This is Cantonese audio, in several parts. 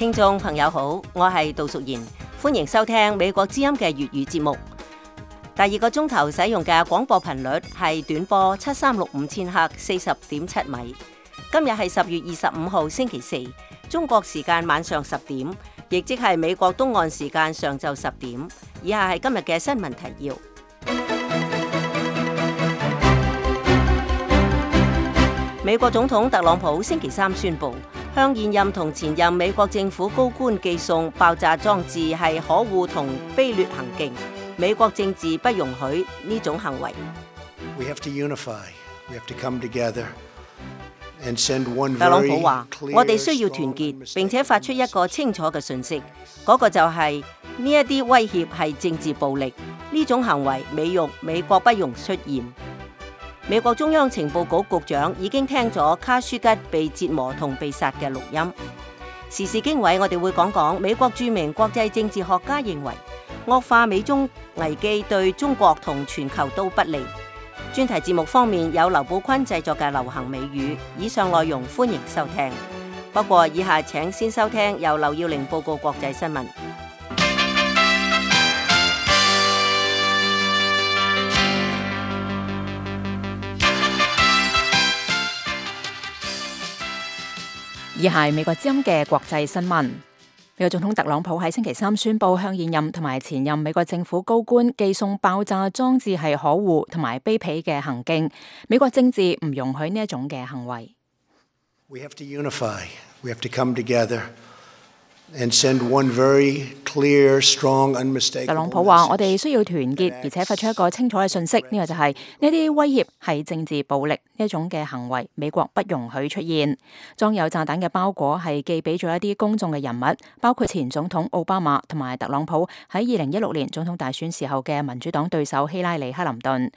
聽眾朋友好，我係杜淑賢，歡迎收聽美國之音嘅粵語節目。第二個鐘頭使用嘅廣播頻率係短波7365千赫40.7米。今日係10月25號星期四，中國時間晚上10點，亦即係美國東岸時間上晝10點。以下係今日嘅新聞提要。美國總統特朗普星期三宣布，向現任同前任美國政府高官寄送爆炸裝置係可惡同卑劣行徑，美國政治不容許呢種行為。We have to unify. We have to come together and send one very clear, 特朗普話：我哋需要團結，並且發出一個清楚嘅訊息，嗰個就係呢一啲威脅係政治暴力，呢種行為美國不容出現。美國中央情報局局長已經聽咗卡舒吉被折磨同被殺嘅錄音。時事經緯，我哋會講講美國著名國際政治學家認為惡化美中危機對中國同全球都不利。專題節目方面有劉寶坤製作嘅流行美語。以上內容歡迎收聽。不過以下請先收聽由劉耀玲報告國際新聞。以下係美國之音嘅國際新聞。美國總統特朗普喺星期三宣布，向現任同埋前任美國政府高官寄送爆炸裝置係可惡同埋卑鄙嘅行徑，美國政治唔容許呢一種嘅行為。We have to unify. We have to come together and send one very clear, strong, unmistakable message. 特朗普話：我哋需要團結，而且發出一個清楚嘅訊息，呢個就係呢啲威脅係政治暴力呢一種嘅行為，美國不容許出現。裝有炸彈嘅包裹係寄俾咗一啲公眾嘅人物，包括前總統奧巴馬同埋特朗普喺2016年總統大選時候嘅民主黨對手希拉里·克林頓。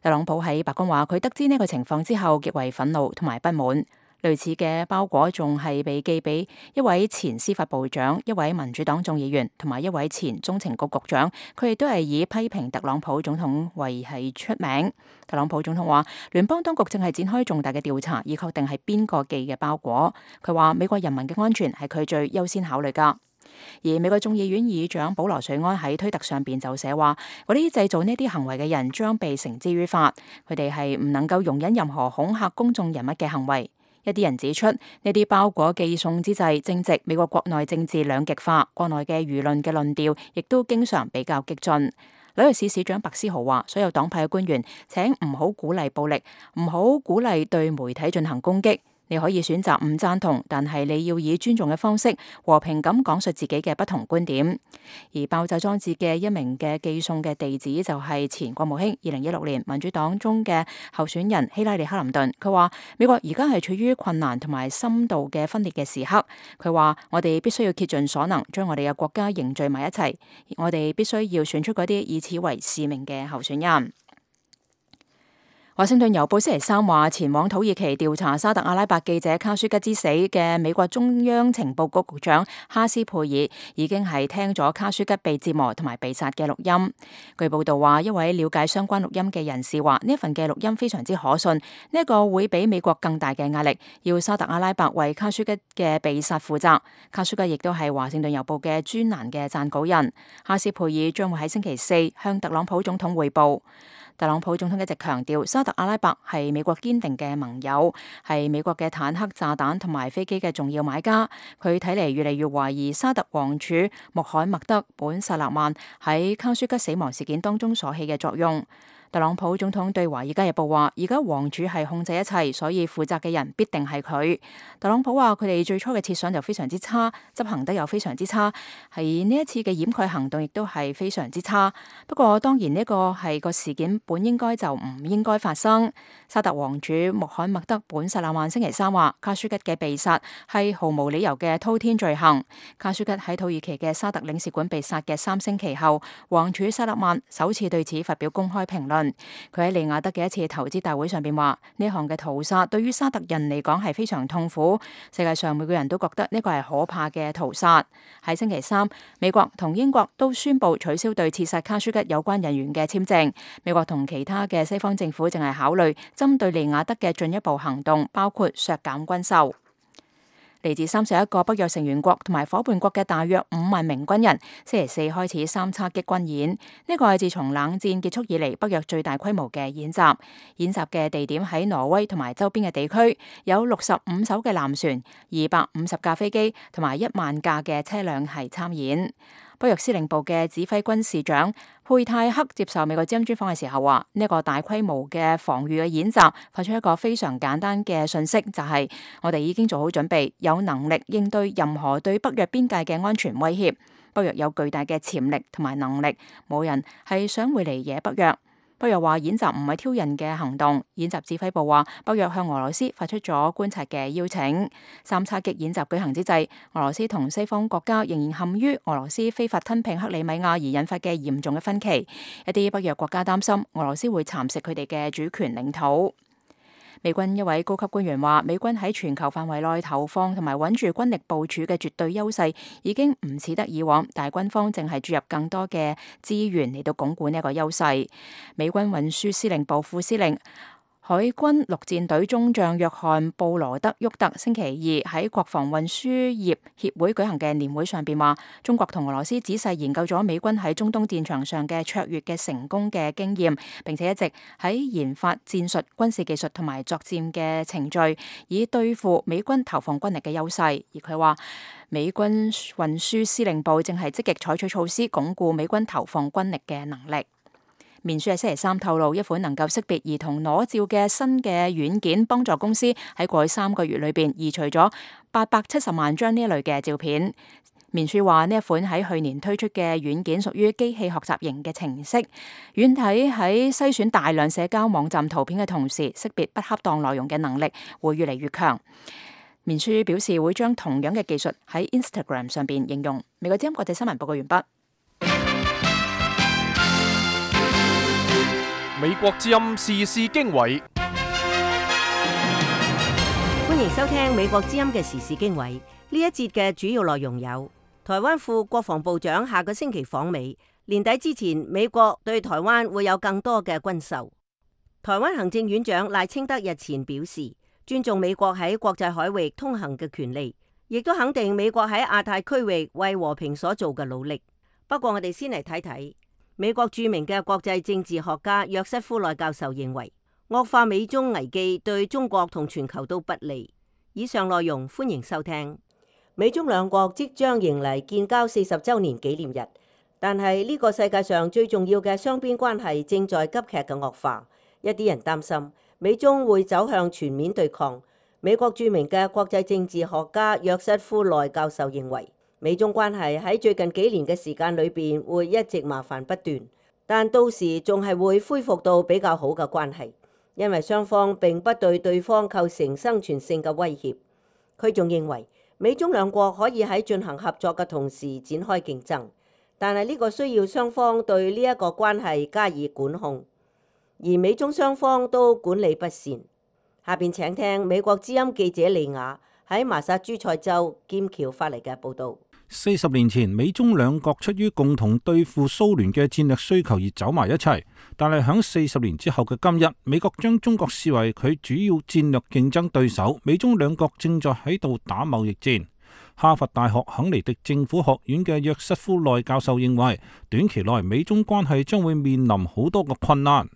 特朗普喺白宮話：佢得知呢個情況之後，極為憤怒同埋不滿。類似嘅包裹仲係被寄俾一位前司法部長、一位民主黨眾議員同埋一位前中情局局長，佢哋都係以批評特朗普總統為係出名。特朗普總統話，聯邦當局正係展開重大嘅調查，以確定係邊個寄嘅包裹。佢話美國人民嘅安全係佢最優先考慮㗎。而美國眾議院議長保羅瑞安喺推特上邊就寫話，嗰啲製造呢啲行為嘅人將被繩之於法，佢哋係唔能夠容忍任何恐嚇公眾人物嘅行為。一啲人指出，呢啲包裹寄送之際，正值美國國內政治兩極化，國內嘅輿論嘅論調亦都經常比較激進。紐約市市長白思豪話：所有黨派嘅官員請唔好鼓勵暴力，唔好鼓勵對媒體進行攻擊。你可以選擇唔贊同，但係你要以尊重嘅方式和平咁講述自己嘅不同觀點。而爆炸裝置嘅一名嘅寄送嘅地址就係前國務卿2016年民主黨中嘅候選人希拉里·克林頓。佢話美國而家係處於困難同埋深度嘅分裂嘅時刻。佢話我哋必須要竭盡所能將我哋嘅國家凝聚埋一齊，我哋必須要選出嗰啲以此為使命嘅候選人。華盛頓郵報星期三話，前往土耳其調查沙特阿拉伯記者卡舒吉之死嘅美國中央情報局局長哈斯佩爾已經係聽咗卡舒吉被折磨同埋被殺嘅錄音。據報道話，一位了解相關錄音嘅人士話，呢一份嘅錄音非常之可信，呢一個會俾美國更大嘅壓力，要沙特阿拉伯為卡舒吉嘅被殺負責。卡舒吉亦都係華盛頓郵報嘅專欄嘅撰稿人。哈斯佩爾將會喺星期四向特朗普總統匯報。特朗普總統一直強調，沙特阿拉伯係美國堅定嘅盟友，係美國嘅坦克、炸彈同埋飛機嘅重要買家。佢睇嚟越嚟越懷疑沙特王儲穆罕默德本薩勒曼喺卡舒吉死亡事件當中所起嘅作用。特朗普總統對《華爾街日報》話：而家王儲係控制一切，所以負責嘅人必定係佢。特朗普話：佢哋最初嘅設想就非常之差，執行得又非常之差，係呢一次嘅掩蓋行動亦都係非常之差。不過當然呢個係個事件本應該就唔應該發生。沙特王儲穆罕默德本薩勒曼星期三話：卡舒吉嘅被殺係毫無理由嘅滔天罪行。卡舒吉喺土耳其嘅沙特領事館被殺嘅3星期後，王儲薩勒曼首次對此發表公開評論。佢喺利雅得嘅一次投資大會上邊話：呢項嘅屠殺對於沙特人嚟講係非常痛苦，世界上每個人都覺得呢個係可怕嘅屠殺。喺星期三，美國同英國都宣布取消對刺殺卡舒吉有關人員嘅簽證。美國同其他嘅西方政府正係考慮針對利雅得嘅進一步行動，包括削減軍售。嚟自31個北約成員國同埋夥伴國嘅大約5萬名軍人，星期四開始三叉戟軍演。呢個係自從冷戰結束以嚟北約最大規模嘅演習。演習嘅地點喺挪威同埋周邊嘅地區，有65艘嘅艦船、250架飛機同埋1萬架嘅車輛係參演。北約司令部嘅指揮軍事長佩泰克接受美國之音專訪嘅時候話：呢個大規模嘅防禦嘅演習發出一個非常簡單嘅訊息，就係我哋已經做好準備，有能力應對任何對北約邊界嘅安全威脅。北約有巨大嘅潛力同埋能力，冇人係想會嚟惹北約。北約話演習唔係挑釁嘅行動。演習指揮部話北約向俄羅斯發出咗觀察嘅邀請。三叉戟演習舉行之際，俄羅斯同西方國家仍然陷於俄羅斯非法吞併克里米亞而引發嘅嚴重嘅分歧。一啲北約國家擔心俄羅斯會蠶食佢哋嘅主權領土。美軍一位高級官員話，美軍喺全球範圍內投放同埋穩住軍力部署嘅絕對優勢已經唔似得以往，但係軍方正係注入更多嘅資源嚟到鞏固呢一個優勢。美軍運輸司令部副司令海軍陸戰隊中將約翰布羅德沃特星期二喺國防運輸業協會舉行嘅年會上邊話，中國同俄羅斯仔細研究咗美軍喺中東戰場上嘅卓越嘅成功嘅經驗，並且一直喺研發戰術、軍事技術同埋作戰嘅程序，以對付美軍投放軍力嘅優勢。而佢話，美軍運輸司令部正係積極採取措施，鞏固美軍投放軍力嘅能力。面書喺星期三透露，一款能夠識別兒童裸照嘅新嘅軟件，幫助公司喺過去3個月裏邊移除咗870萬張呢一類嘅照片。面書話呢一款喺去年推出嘅軟件屬於機器學習型嘅程式，軟體喺篩選大量社交網站圖片嘅同時，識別不恰當內容嘅能力會越嚟越強。面書表示會將同樣嘅技術喺 Instagram 上邊應用。美國之音國際新聞報告完畢。美國之音時事經緯，歡迎收聽美國之音嘅時事經緯。呢一節嘅主要內容有：台灣副國防部長下個星期訪美，年底之前美國對台灣會有更多嘅軍售。台灣行政院長賴清德日前表示，尊重美國喺國際海域通行嘅權利，亦都肯定美國喺亞太區域為和平所做嘅努力。不過我哋先嚟睇睇。美國著名嘅國際政治學家約瑟夫內教授認為，惡化美中危機對中國同全球都不利。以上內容歡迎收聽。美中兩國即將迎嚟建交40週年紀念日，但係呢個世界上最重要嘅雙邊關係正在急劇嘅惡化。一啲人擔心美中會走向全面對抗。美國著名嘅國際政治學家約瑟夫內教授認為，美中關係喺最近幾年嘅時間裏邊會一直麻煩不斷，但到時仲係會恢復到比較好嘅關係，因為雙方並不對對方構成生存性嘅威脅。佢仲認為美中兩國可以喺進行合作嘅同時展開競爭，但係呢個需要雙方對呢一個關係加以管控，而美中雙方都管理不善。下邊請聽美國之音記者利亞喺麻薩諸塞州劍橋發嚟嘅報導。40年前，美中兩國出於共同對付蘇聯嘅戰略需求而走埋一齊，但係響40年之後嘅今日，美國將中國視為佢主要戰略競爭對手，美中兩國正在喺度打貿易戰。哈佛大學肯尼迪政府學院嘅約瑟夫內教授認為，短期內美中關係將會面臨好多個困難。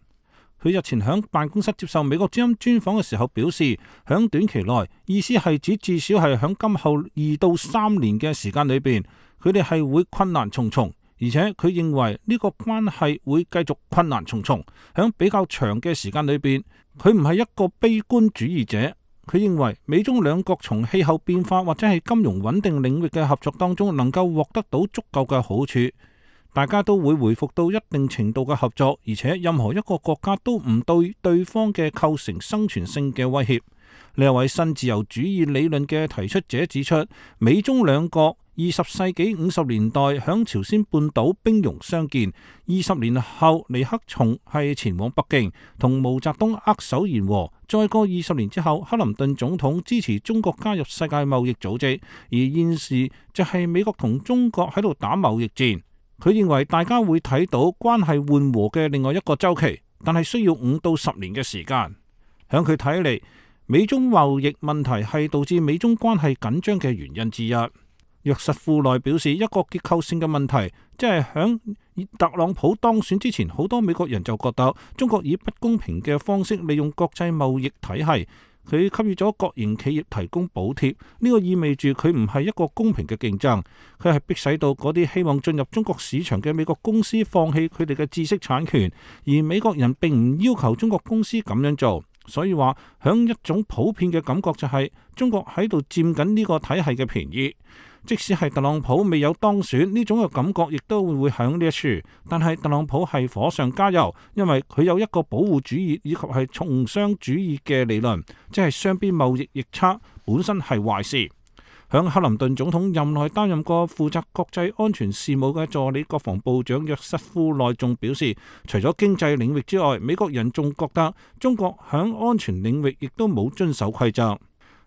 佢日前喺辦公室接受美國之音專訪嘅時候表示，喺短期內，意思係指至少係喺今後2到3年嘅時間裏邊，佢哋係會困難重重，而且佢認為呢個關係會繼續困難重重。喺比較長嘅時間裏邊，佢唔係一個悲觀主義者，佢認為美中兩國從氣候變化或者係金融穩定領域嘅合作當中能夠獲得到足夠嘅好處。大家都會回復到一定程度嘅合作，而且任何一個國家都唔對對方嘅構成生存性嘅威脅。呢一位新自由主義理論嘅提出者指出，美中兩國20世紀50年代響朝鮮半島兵戎相見，20年後尼克松係前往北京同毛澤東握手言和，再過20年之後，克林頓總統支持中國加入世界貿易組織，而現時就係美國同中國喺度打貿易戰。佢認為大家會睇到關係緩和嘅另外一個週期，但係需要5到10年嘅時間。響佢睇嚟，美中貿易問題係導致美中關係緊張嘅原因之一。約瑟夫內表示，一個結構性嘅問題，即係響特朗普當選之前，好多美國人就覺得中國以不公平嘅方式利用國際貿易體系，佢給予咗國營企業提供補貼，呢個意味住佢唔係一個公平嘅競爭，佢係迫使到嗰啲希望進入中國市場嘅美國公司放棄佢哋嘅知識產權，而美國人並唔要求中國公司咁樣做。所以話，響一種普遍嘅感覺就係中國喺度佔緊呢個體系嘅便宜。即使係特朗普未有當選，呢種嘅感覺亦都會響呢一處。但係特朗普係火上加油，因為佢有一個保護主義以及係從商主義嘅理論，即係雙邊貿易逆差本身係壞事。響克林頓總統任內擔任過負責國際安全事務嘅助理國防部長約瑟夫內仲表示，除咗經濟領域之外，美國人仲覺得中國響安全領域亦都冇遵守規則。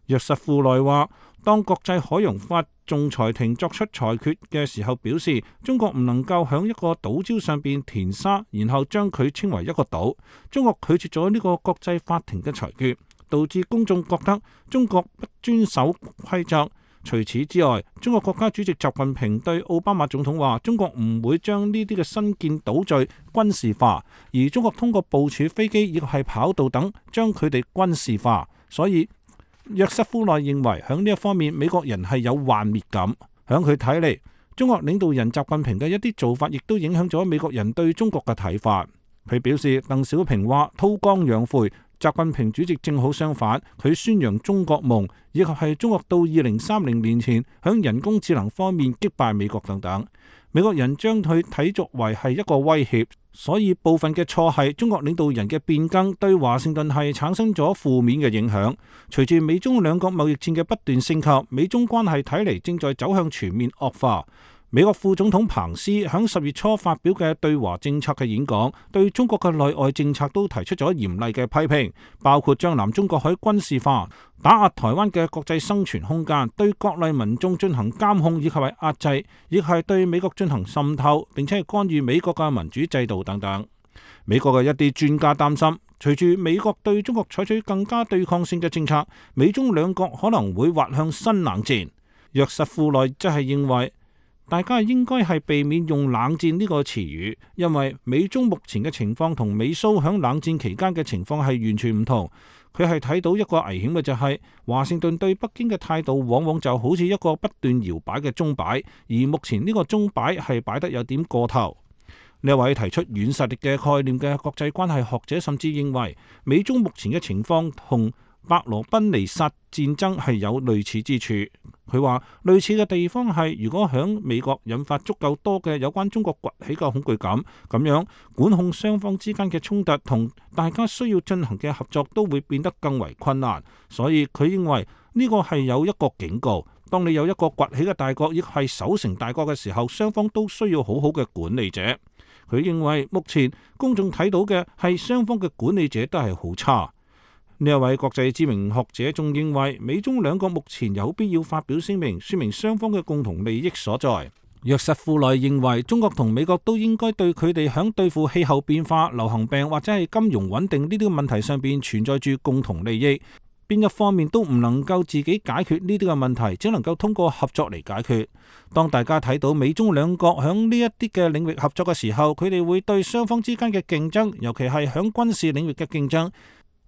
約瑟夫內話，當國際海洋法仲裁庭作出裁決嘅時候，表示中國唔能夠響一個島礁上邊填沙，然後將佢稱為一個島。中國拒絕咗呢個國際法庭嘅裁決，導致公眾覺得中國不遵守規則。除此之外，中國國家主席習近平對奧巴馬總統話，中國唔會將呢啲嘅新建島嶼軍事化，而中國通過部署飛機亦係跑道等將佢哋軍事化。所以約瑟夫內認為響呢一方面美國人係有幻滅感。響佢睇嚟，中國領導人習近平嘅一啲做法亦都影響咗美國人對中國嘅睇法。佢表示，鄧小平話韜光養晦，習近平主席正好相反，佢宣揚中國夢，以及係中國到2030年前響人工智能方面擊敗美國等等。美國人將佢睇作為係一個威脅，所以部分嘅錯係中國領導人嘅變更對華盛頓係產生咗負面嘅影響。隨住美中兩國貿易戰嘅不斷升級，美中關係睇嚟正在走向全面惡化。美國副總統彭斯響10月初發表嘅對華政策嘅演講，對中國嘅內外政策都提出咗嚴厲嘅批評，包括將南中國海軍事化、打壓台灣嘅國際生存空間、對國內民眾進行監控以及係壓制，亦係對美國進行滲透，並且係干預美國嘅民主制度等等。美國嘅一啲專家擔心，隨住美國對中國採取更加對抗性嘅政策，美中兩國可能會滑向新冷戰。約瑟夫內則係認為，大家應該係避免用冷戰呢個詞語，因為美中目前嘅情況同美蘇響冷戰期間嘅情況係完全唔同。佢係睇到一個危險嘅就係，華盛頓對北京嘅態度往往就好似一個不斷搖擺嘅鐘擺，而目前呢個鐘擺係擺得有點過頭。呢位提出軟實力嘅概念嘅國際關係學者甚至認為，美中目前嘅情況同伯羅奔尼撒戰爭係有類似之處。佢話類似嘅地方係，如果響美國引發足夠多嘅有關中國崛起嘅恐懼感，咁樣管控雙方之間嘅衝突同大家需要進行嘅合作都會變得更為困難。所以佢認為呢個係有一個警告，當你有一個崛起嘅大國亦係守成大國嘅時候，雙方都需要好好嘅管理者。佢認為目前公眾睇到嘅係雙方嘅管理者都係好差。呢一位國際知名學者仲認為，美中兩國目前有必要發表聲明，說明雙方嘅共同利益所在。約瑟夫內認為，中國同美國都應該對佢哋響對付氣候變化、流行病或者係金融穩定呢啲問題上邊存在住共同利益，邊一方面都唔能夠自己解決呢啲嘅問題，只能夠通過合作嚟解決。當大家睇到美中兩國響呢一啲嘅領域合作嘅時候，佢哋會對雙方之間嘅競爭，尤其係響軍事領域嘅競爭，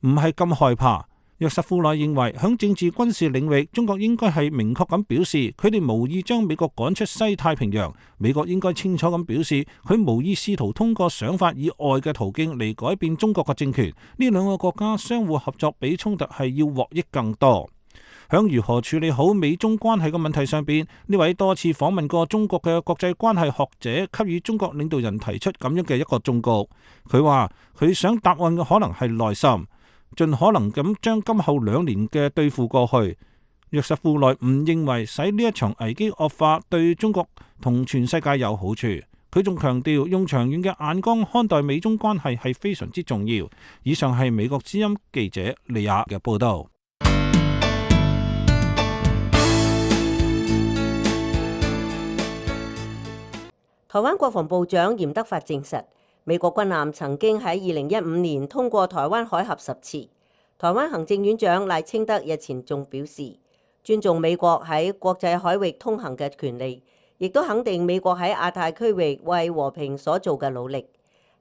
唔係咁害怕。約瑟夫內認為，響政治軍事領域，中國應該係明確咁表示，佢哋無意將美國趕出西太平洋。美國應該清楚咁表示，佢無意試圖通過想法以外嘅途徑嚟改變中國嘅政權。呢兩個國家相互合作比衝突係要獲益更多。響如何處理好美中關係嘅問題上邊，呢位多次訪問過中國嘅國際關係學者給予中國領導人提出咁樣嘅一個忠告。佢話佢想答案嘅可能係耐心，盡可能咁將今後2年嘅對付過去。約瑟夫內唔認為使呢一場危機惡化對中國同全世界有好處。佢仲強調用長遠嘅眼光看待美中關係係非常之重要。以上係美國之音記者利亞嘅報道。台灣國防部長嚴德發證實，美國軍艦曾經喺2015年通過台灣海峽10次。台灣行政院長賴清德日前仲表示，尊重美國喺國際海域通行嘅權利，亦都肯定美國喺亞太區域為和平所做嘅努力。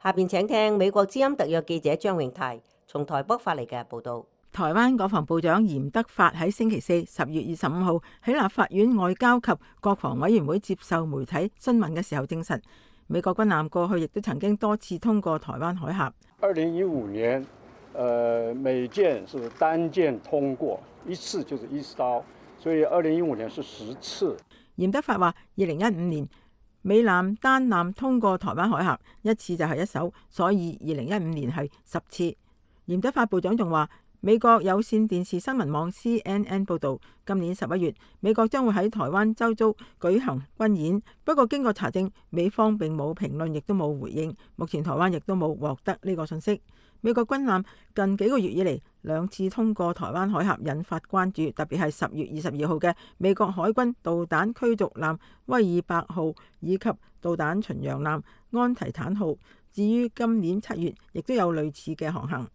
下邊請聽美國之音特約記者張永泰從台北發嚟嘅報導。台灣國防部長嚴德發喺星期四10月25號喺立法院外交及國防委員會接受媒體詢問嘅時候證實，美國軍艦過去亦都曾經多次通過台灣海峽。2015年，每艦是單艦通過，一次就是1艘，所以2015年是10次。嚴德發話，2015年美艦單艦通過台灣海峽一次就係1艘，所以2015年係10次。嚴德發部長仲話，美國有線電視新聞網 CNN 報導，今年11月，美國將會喺台灣周遭舉行軍演。不過經過查證，美方並冇評論，亦都冇回應。目前台灣亦都冇獲得呢個信息。美國軍艦近幾個月以嚟2次通過台灣海峽，引發關注，特別係10月22號嘅美國海軍導彈驅逐艦威爾伯號以及導彈巡洋艦安提坦號。至於今年7月，亦都有類似嘅航行。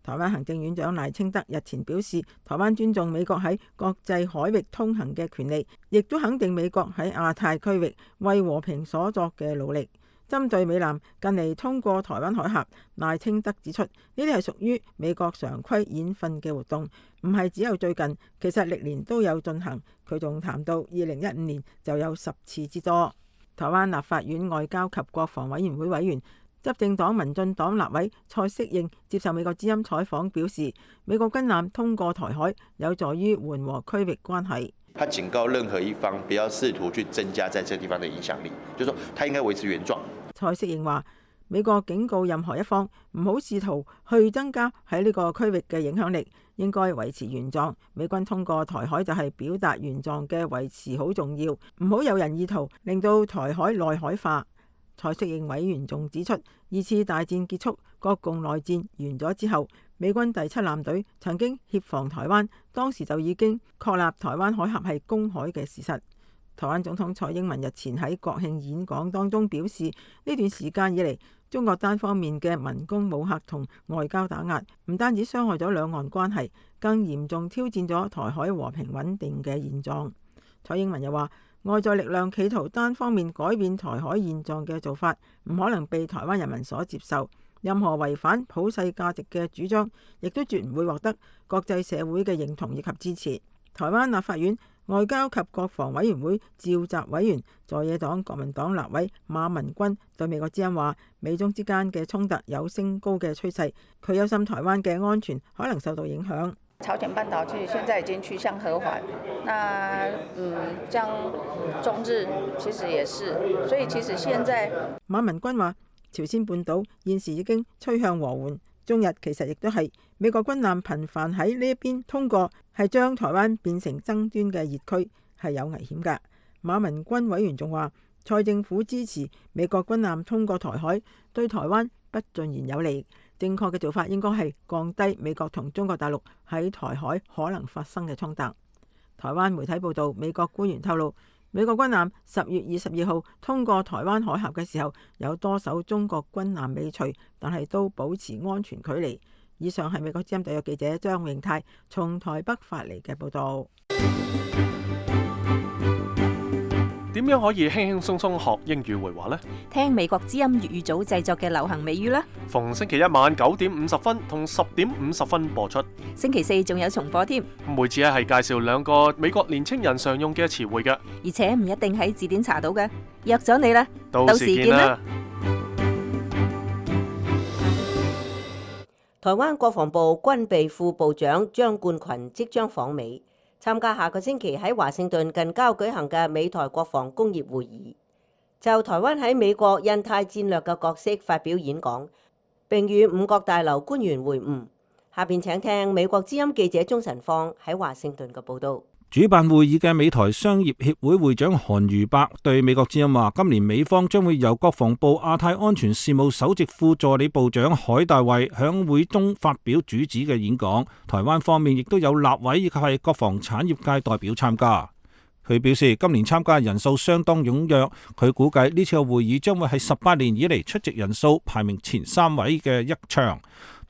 台灣行政院長賴清德日前表示，台灣尊重美國喺國際海域通行嘅權利，亦都肯定美國喺亞太區域為和平所作嘅努力。針對美艦近嚟通過台灣海峽，賴清德指出，呢啲係屬於美國常規演訓嘅活動，唔係只有最近，其實歷年都有進行。佢仲談到2015年就有10次之多。台灣立法院外交及國防委員會委員、執政黨民進黨立委蔡適應接受美國之音採訪表示，美國軍艦通過台海有助於緩和區域關係。他警告任何一方不要試圖去增加在這個地方的影響力，就是說他應該維持原狀。蔡適應話，美國警告任何一方唔好試圖去增加喺呢個區域嘅影響力，應該維持原狀。美軍通過台海就係表達原狀嘅維持好重要，唔好有人意圖令到台海內海化。蔡適應委員仲指出，2次大戰結束，國共內戰完咗之後，美軍第7艦隊曾經協防台灣，當時就已經確立台灣海峽係公海嘅事實。台灣總統蔡英文日前喺國慶演講當中表示，呢段時間以嚟，中國單方面嘅文攻武嚇同外交打壓，唔單止傷害咗兩岸關係，更嚴重挑戰咗台海和平穩定嘅現狀。蔡英文又話，外在力量企圖單方面改變台海現狀嘅做法，唔可能被台灣人民所接受。任何違反普世價值嘅主張，亦都絕唔會獲得國際社會嘅認同以及支持。台灣立法院外交及國防委員會召集委員、在野黨國民黨立委馬文君對美國之音話，美中之間嘅衝突有升高嘅趨勢，佢憂心台灣嘅安全可能受到影響。朝鮮半島其實現在已經趨向和緩，那將中日其實也是，所以其實現在馬文君話，朝鮮半島現時已經趨向和緩，中日其實亦都係美國軍艦頻繁喺呢一邊通過，係將台灣變成爭端嘅熱區，係有危險㗎。馬文君委員仲話，蔡政府支持美國軍艦通過台海，對台灣不盡然有利。正確嘅做法應該係降低美國同中國大陸喺台海可能發生嘅衝突。台灣媒體報導，美國官員透露，美國軍艦10月22號通過台灣海峽嘅時候，有多艘中國軍艦尾隨，但係都保持安全距離。以上係美國之音特約記者張永泰從台北發嚟嘅報導。點樣可以輕輕鬆鬆學英語會話呢？聽美國之音粵語組製作嘅流行美語啦！逢星期一晚9點50分同10點50分播出，星期4仲有重播添。每次係介紹2個美國年青人常用嘅詞彙嘅，而且唔一定喺字典查到嘅。約咗你啦，到時見啦！台灣國防部軍備副部長張冠群即將訪美，參加下個星期喺華盛頓近郊舉行嘅美台國防工業會議，就台灣喺美國印太戰略嘅角色發表演講，並與5角大樓官員會晤。下邊請聽美國之音記者鍾晨芳喺華盛頓嘅報道。主辦會議嘅美台商業協會會長韓如伯對美國之音話，今年美方將會由國防部亞太安全事務首席副助理部長海大衛響會中發表主旨嘅演講，台灣方面亦都有立委以及係國防產業界代表參加。佢表示今年參加人數相當踴躍，佢估計呢次嘅會議將會係18年以嚟出席人數排名前3位嘅一場。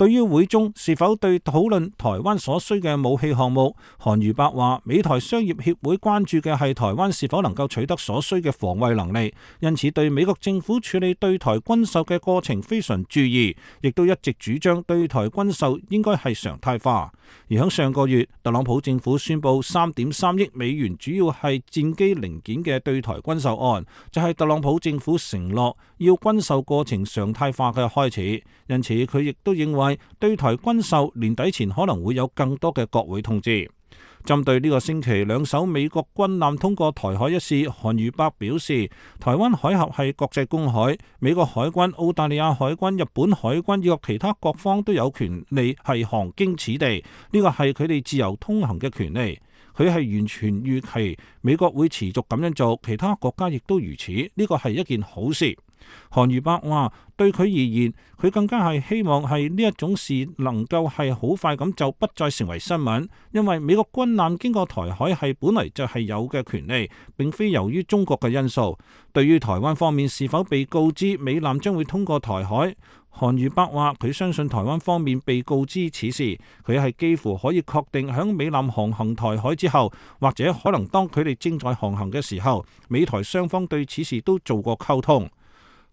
對於會中是否對討論台灣所需嘅武器項目，韓如伯話：美台商業協會關注嘅係台灣是否能夠取得所需嘅防衛能力，因此對美國政府處理對台軍售嘅過程非常注意，亦都一直主張對台軍售應該係常態化。而喺上個月，特朗普政府宣布3.3億美元，主要係戰機零件嘅對台軍售案，就係特朗普政府承諾要軍售過程常態化嘅開始。因此，佢亦都認為對台軍售年底前可能會有更多嘅國會通知。針對呢個星期兩艘美國軍艦通過台海一事，韓如伯表示，台灣海峽係國際公海，美國海軍、澳大利亞海軍、日本海軍以及其他各方都有權利係航經此地，呢個係佢哋自由通行嘅權利。佢係完全預期美國會持續咁樣做，其他國家亦都如此，呢個係一件好事。韓如伯話：對佢而言，佢更加係希望係呢一種事能夠係好快咁就不再成為新聞，因為美國軍艦經過台海係本嚟就係有嘅權利，並非由於中國嘅因素。對於台灣方面是否被告知美艦將會通過台海，韓如伯話佢相信台灣方面被告知此事，佢係幾乎可以確定響美艦航行台海之後，或者可能當佢哋正在航行嘅時候，美台雙方對此事都做過溝通。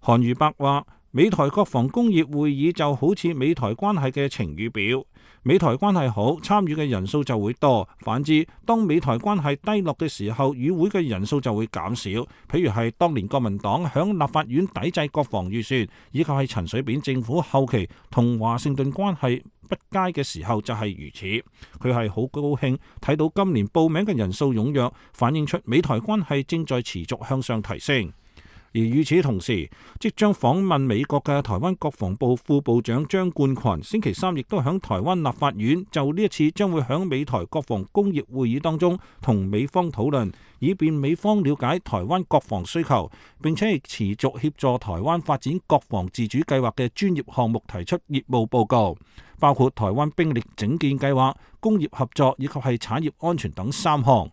韓如伯話：美台國防工業會議就好似美台關係嘅晴雨表，美台關係好，參與嘅人數就會多；反之，當美台關係低落嘅時候，與會嘅人數就會減少。譬如係當年國民黨響立法院抵制國防預算，以及係陳水扁政府後期同華盛頓關係不佳嘅時候就係如此。佢係好高興睇到今年報名嘅人數踴躍，反映出美台關係正在持續向上提升。而與此同時，即將訪問美國嘅台灣國防部副部長張冠群星期三亦都響台灣立法院就呢一次將會響美台國防工業會議當中同美方討論，以便美方了解台灣國防需求，並且係持續協助台灣發展國防自主計劃嘅專業項目提出業務報告，包括台灣兵力整建計劃、工業合作以及係產業安全等3項。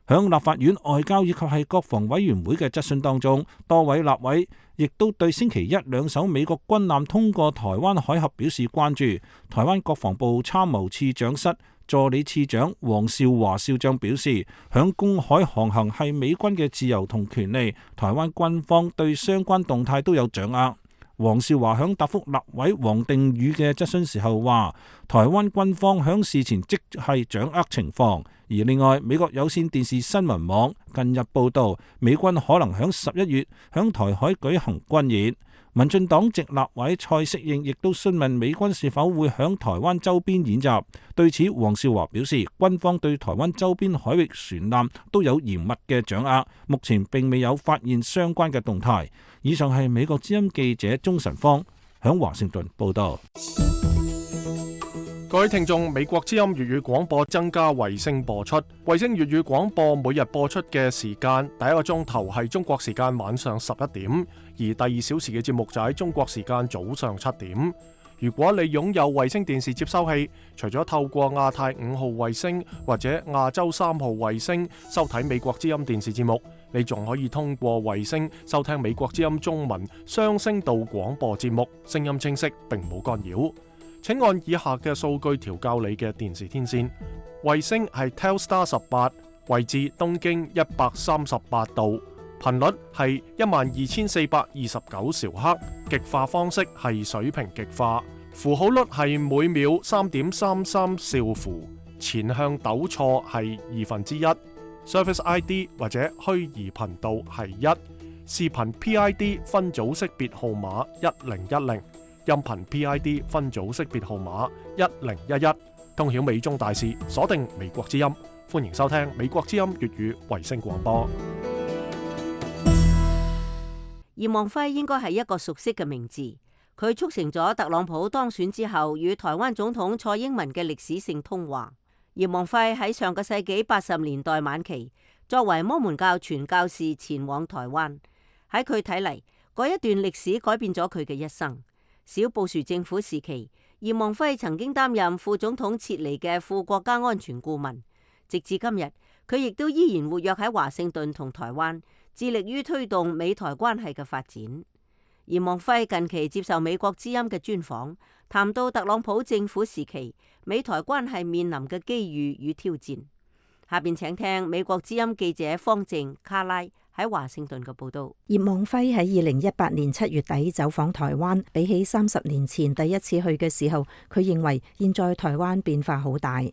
響立法院外交以及係國防委員會嘅質詢當中，多位立委亦都對星期一2艘美國軍艦通過台灣海峽表示關注。台灣國防部參謀次長室助理次長黃少華少將表示，響公海航行係美軍嘅自由同權利，台灣軍方對相關動態都有掌握。黃少華響答覆立委王定宇嘅質詢時候話，台灣軍方響事前即係掌握情況。而另外，美國有線電視新聞網近日報道，美軍可能響11月響台海舉行軍演。民進黨籍立委蔡適應亦都詢問美軍是否會響台灣周邊演習。對此，黃少華表示，軍方對台灣周邊海域船艦都有嚴密嘅掌握，目前並未有發現相關嘅動態。以上係美國之音記者鍾晨芳響華盛頓報道。各位聽眾，美國之音粵語廣播增加衛星播出。衛星粵語廣播每日播出嘅時間，第一個鐘頭係中國時間晚上11點，而第2小時嘅節目就喺中國時間早上7點。如果你擁有衛星電視接收器，除咗透過亞太5號衛星或者亞洲3號衛星收睇美國之音電視節目，你仲可以通過衛星收聽美國之音中文雙聲道廣播節目，聲音清晰並冇干擾。請按以下嘅數據調校你嘅電視天線。衛星係 Telstar 18，位置東經138度，頻率係12429兆赫，極化方式係水平極化，符號率係每秒3.33兆符，前向抖錯係1/2， Service ID 或者虛擬頻道係1，視頻 PID 分組識別號碼1010。音頻 PID 分組識別號碼1011，通曉美中大事，鎖定美國之音，歡迎收聽美國之音粵語衛星廣播。葉望輝應該係一個熟悉嘅名字，佢促成咗特朗普當選之後與台灣總統蔡英文嘅歷史性通話。葉望輝喺上個世紀80年代晚期，作為摩門教傳教士前往台灣，喺佢睇嚟，嗰一段歷史改變咗佢嘅一生。小布殊政府時期，葉望輝曾經擔任副總統切尼嘅副國家安全顧問，直至今日，佢亦都依然活躍喺華盛頓同台灣，致力於推動美台關係嘅發展。嚴望輝近期接受美國之音嘅專訪，談到特朗普政府時期美台關係面臨嘅機遇與挑戰。下邊請聽美國之音記者方靜卡拉喺華盛頓嘅報道。葉望輝喺2018年7月底走訪台灣，比起30年前第一次去嘅時候，佢認為現在台灣變化好大。I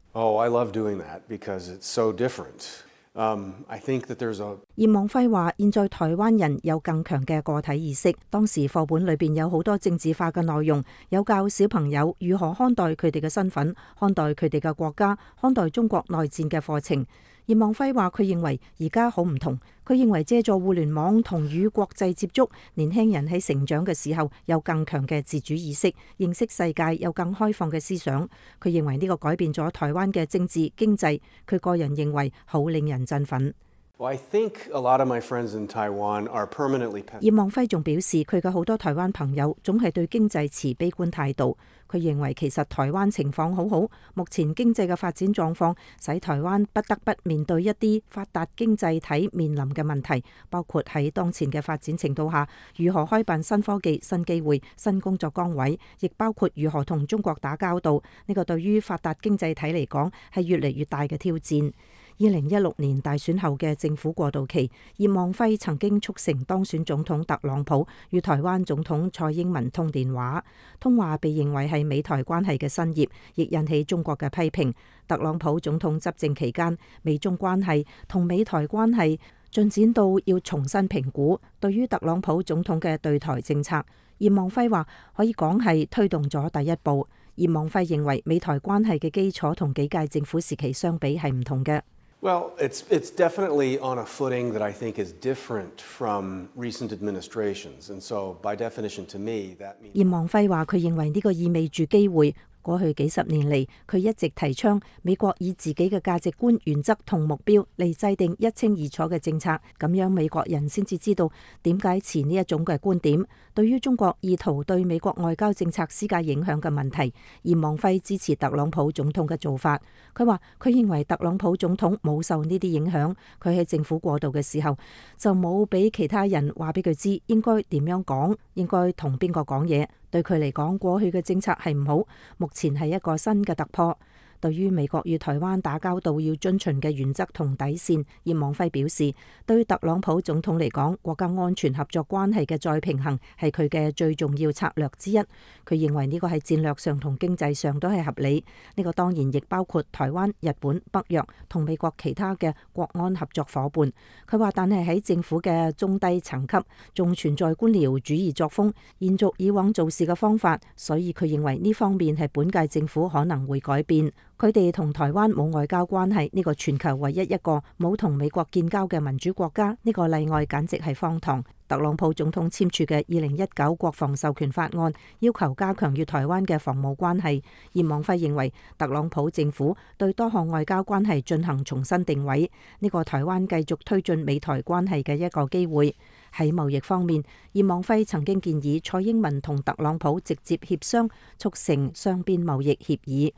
love doing that because it's so different. I think that there's a 葉望輝話：現在台灣人有更強嘅個體意識。當時課本裏邊有好多政治化嘅內容，有教小朋友如何看待佢哋嘅身份、看待佢哋嘅國家、看待中國內戰嘅課程。葉望輝話：佢認為而家好唔同。佢認為借助互聯網同與國際接觸，年輕人喺成長嘅時候有更強嘅自主意識，認識世界有更開放嘅思想。佢認為呢個改變咗台灣嘅政治經濟。佢個人認為好令人振奮。I think a lot of my friends in Taiwan are permanently pessimistic. 葉望輝仲表示，佢嘅好多台灣朋友總係對經濟持悲觀態度。佢認為其實台灣情況好好，目前經濟嘅發展狀況使台灣不得不面對一啲發達經濟體面臨嘅問題，包括喺當前嘅發展程度下，如何開辦新科技、新機會、新工作崗位，亦包括如何同中國打交道。呢個對於發達經濟體嚟講係越嚟越大嘅挑戰。2016年大選後嘅政府過渡期，葉望輝曾經促成當選總統特朗普與台灣總統蔡英文通電話，通話被認為係美台關係嘅新葉，亦引起中國嘅批評。特朗普總統執政期間，美中關係同美台關係進展到要重新評估。對於特朗普總統嘅對台政策，葉望輝話可以講係推動咗第一步。葉望輝認為美台關係嘅基礎同幾屆政府時期相比係唔同嘅。Well, it's definitely on a footing that I think is different from recent administrations, and so by definition to me that means 葉望輝話：佢認為呢個意味住機會。過去幾十年嚟，佢一直提倡美國以自己嘅價值觀、原則同目標嚟制定一清二楚嘅政策，咁樣美國人先至知道點解持呢一種嘅觀點。對於中國意圖對美國外交政策施加影響嘅問題，葉望輝支持特朗普總統嘅做法。佢話：佢認為特朗普總統冇受呢啲影響，佢喺政府過渡嘅時候就冇俾其他人話俾佢知應該點樣講，應該同邊個講嘢。對佢嚟講，過去嘅政策係唔好，目前係一個新嘅突破。對於美國與台灣打交道要遵循嘅原則同底線，葉望輝表示，對於特朗普總統嚟講，國家安全合作關係嘅再平衡係佢嘅最重要策略之一。佢認為呢個喺戰略上同經濟上都係合理。呢個當然亦包括台灣、日本、北約同美國其他嘅國安合作夥伴。佢話，但係喺政府嘅中低層級仲存在官僚主義作風，延續以往做事嘅方法，所以佢認為呢方面係本屆政府可能會改變。佢哋同台灣冇外交關係，呢個全球唯一一個冇同美國建交嘅民主國家，呢個例外簡直係荒唐。特朗普總統簽署嘅2019國防授權法案，要求加強與台灣嘅防務關係。葉望輝認為，特朗普政府對多項外交關係進行重新定位，呢個台灣繼續推進美台關係嘅一個機會。喺貿易方面，葉望輝曾經建議蔡英文同特朗普直接協商，促成雙邊貿易協議。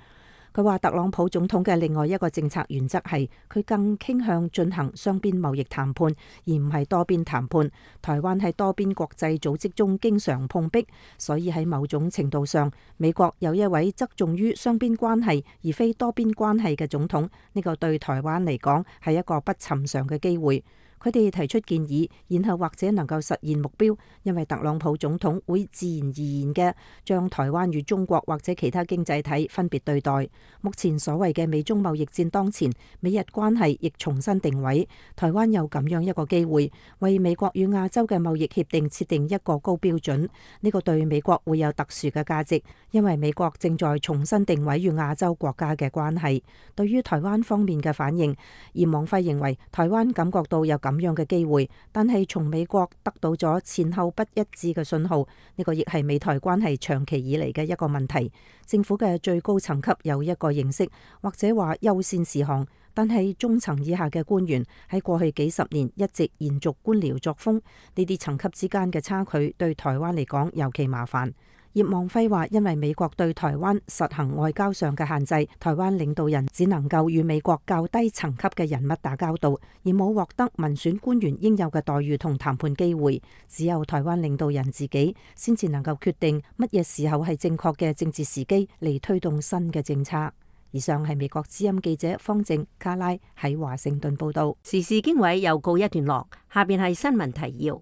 佢話特朗普總統嘅另外一個政策原則係，佢更傾向進行雙邊貿易談判，而唔係多邊談判。台灣喺多邊國際組織中經常碰壁，所以喺某種程度上，美國有一位側重於雙邊關係而非多邊關係嘅總統，呢個對台灣嚟講係一個不尋常嘅機會。佢哋提出建議，然後或者能夠實現目標，因為特朗普總統會自然而然嘅將台灣與中國或者其他經濟體分別對待。目前所謂嘅美中貿易戰當前，美日關係亦重新定位，台灣有咁樣一個機會，為美國與亞洲嘅貿易協定設定一個高標準。呢個對美國會有特殊嘅價值，因為美國正在重新定位與亞洲國家嘅關係。對於台灣方面嘅反應，葉望輝認為台灣感覺到有咁樣嘅機會，但係從美國得到咗前後不一致嘅信號，呢個亦係美台關係長期以嚟嘅一個問題。政府嘅最高層級有一個認識，或者話優先事項，但係中層以下嘅官員喺過去幾十年一直延續官僚作風，呢啲層級之間嘅差距對台灣嚟講尤其麻煩。葉望輝話，因為美國對台灣實行外交上嘅限制，台灣領導人只能夠與美國較低層級嘅人物打交道，而冇獲得民選官員應有嘅待遇同談判機會。只有台灣領導人自己先至能夠決定乜嘢時候係正確嘅政治時機嚟推動新嘅政策。以上係美國之音記者方靜卡拉喺華盛頓報道。時事經緯又告一段落，下邊係新聞提要。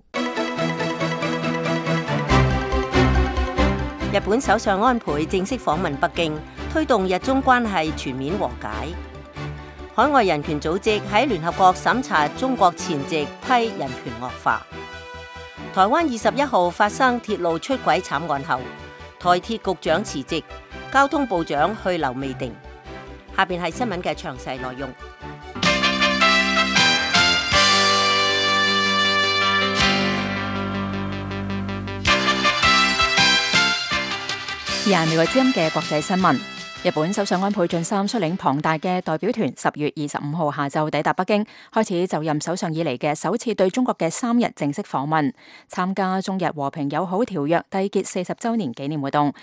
日本首相安倍正式訪問北京，推動日中關係全面和解。海外人權組織喺聯合國審查中國前夕批人權惡化。台灣21號發生鐵路出軌慘案後，台鐵局長辭職，交通部長去留未定。下邊係新聞嘅詳細內容。而係美國之音嘅國際新聞。日本首相安倍晉三率領龐大嘅代表團10月25號下晝抵達北京，開始就任首相以嚟嘅首次對中國嘅3日正式訪問，參加中日和平友好條約締結40週年紀念活動，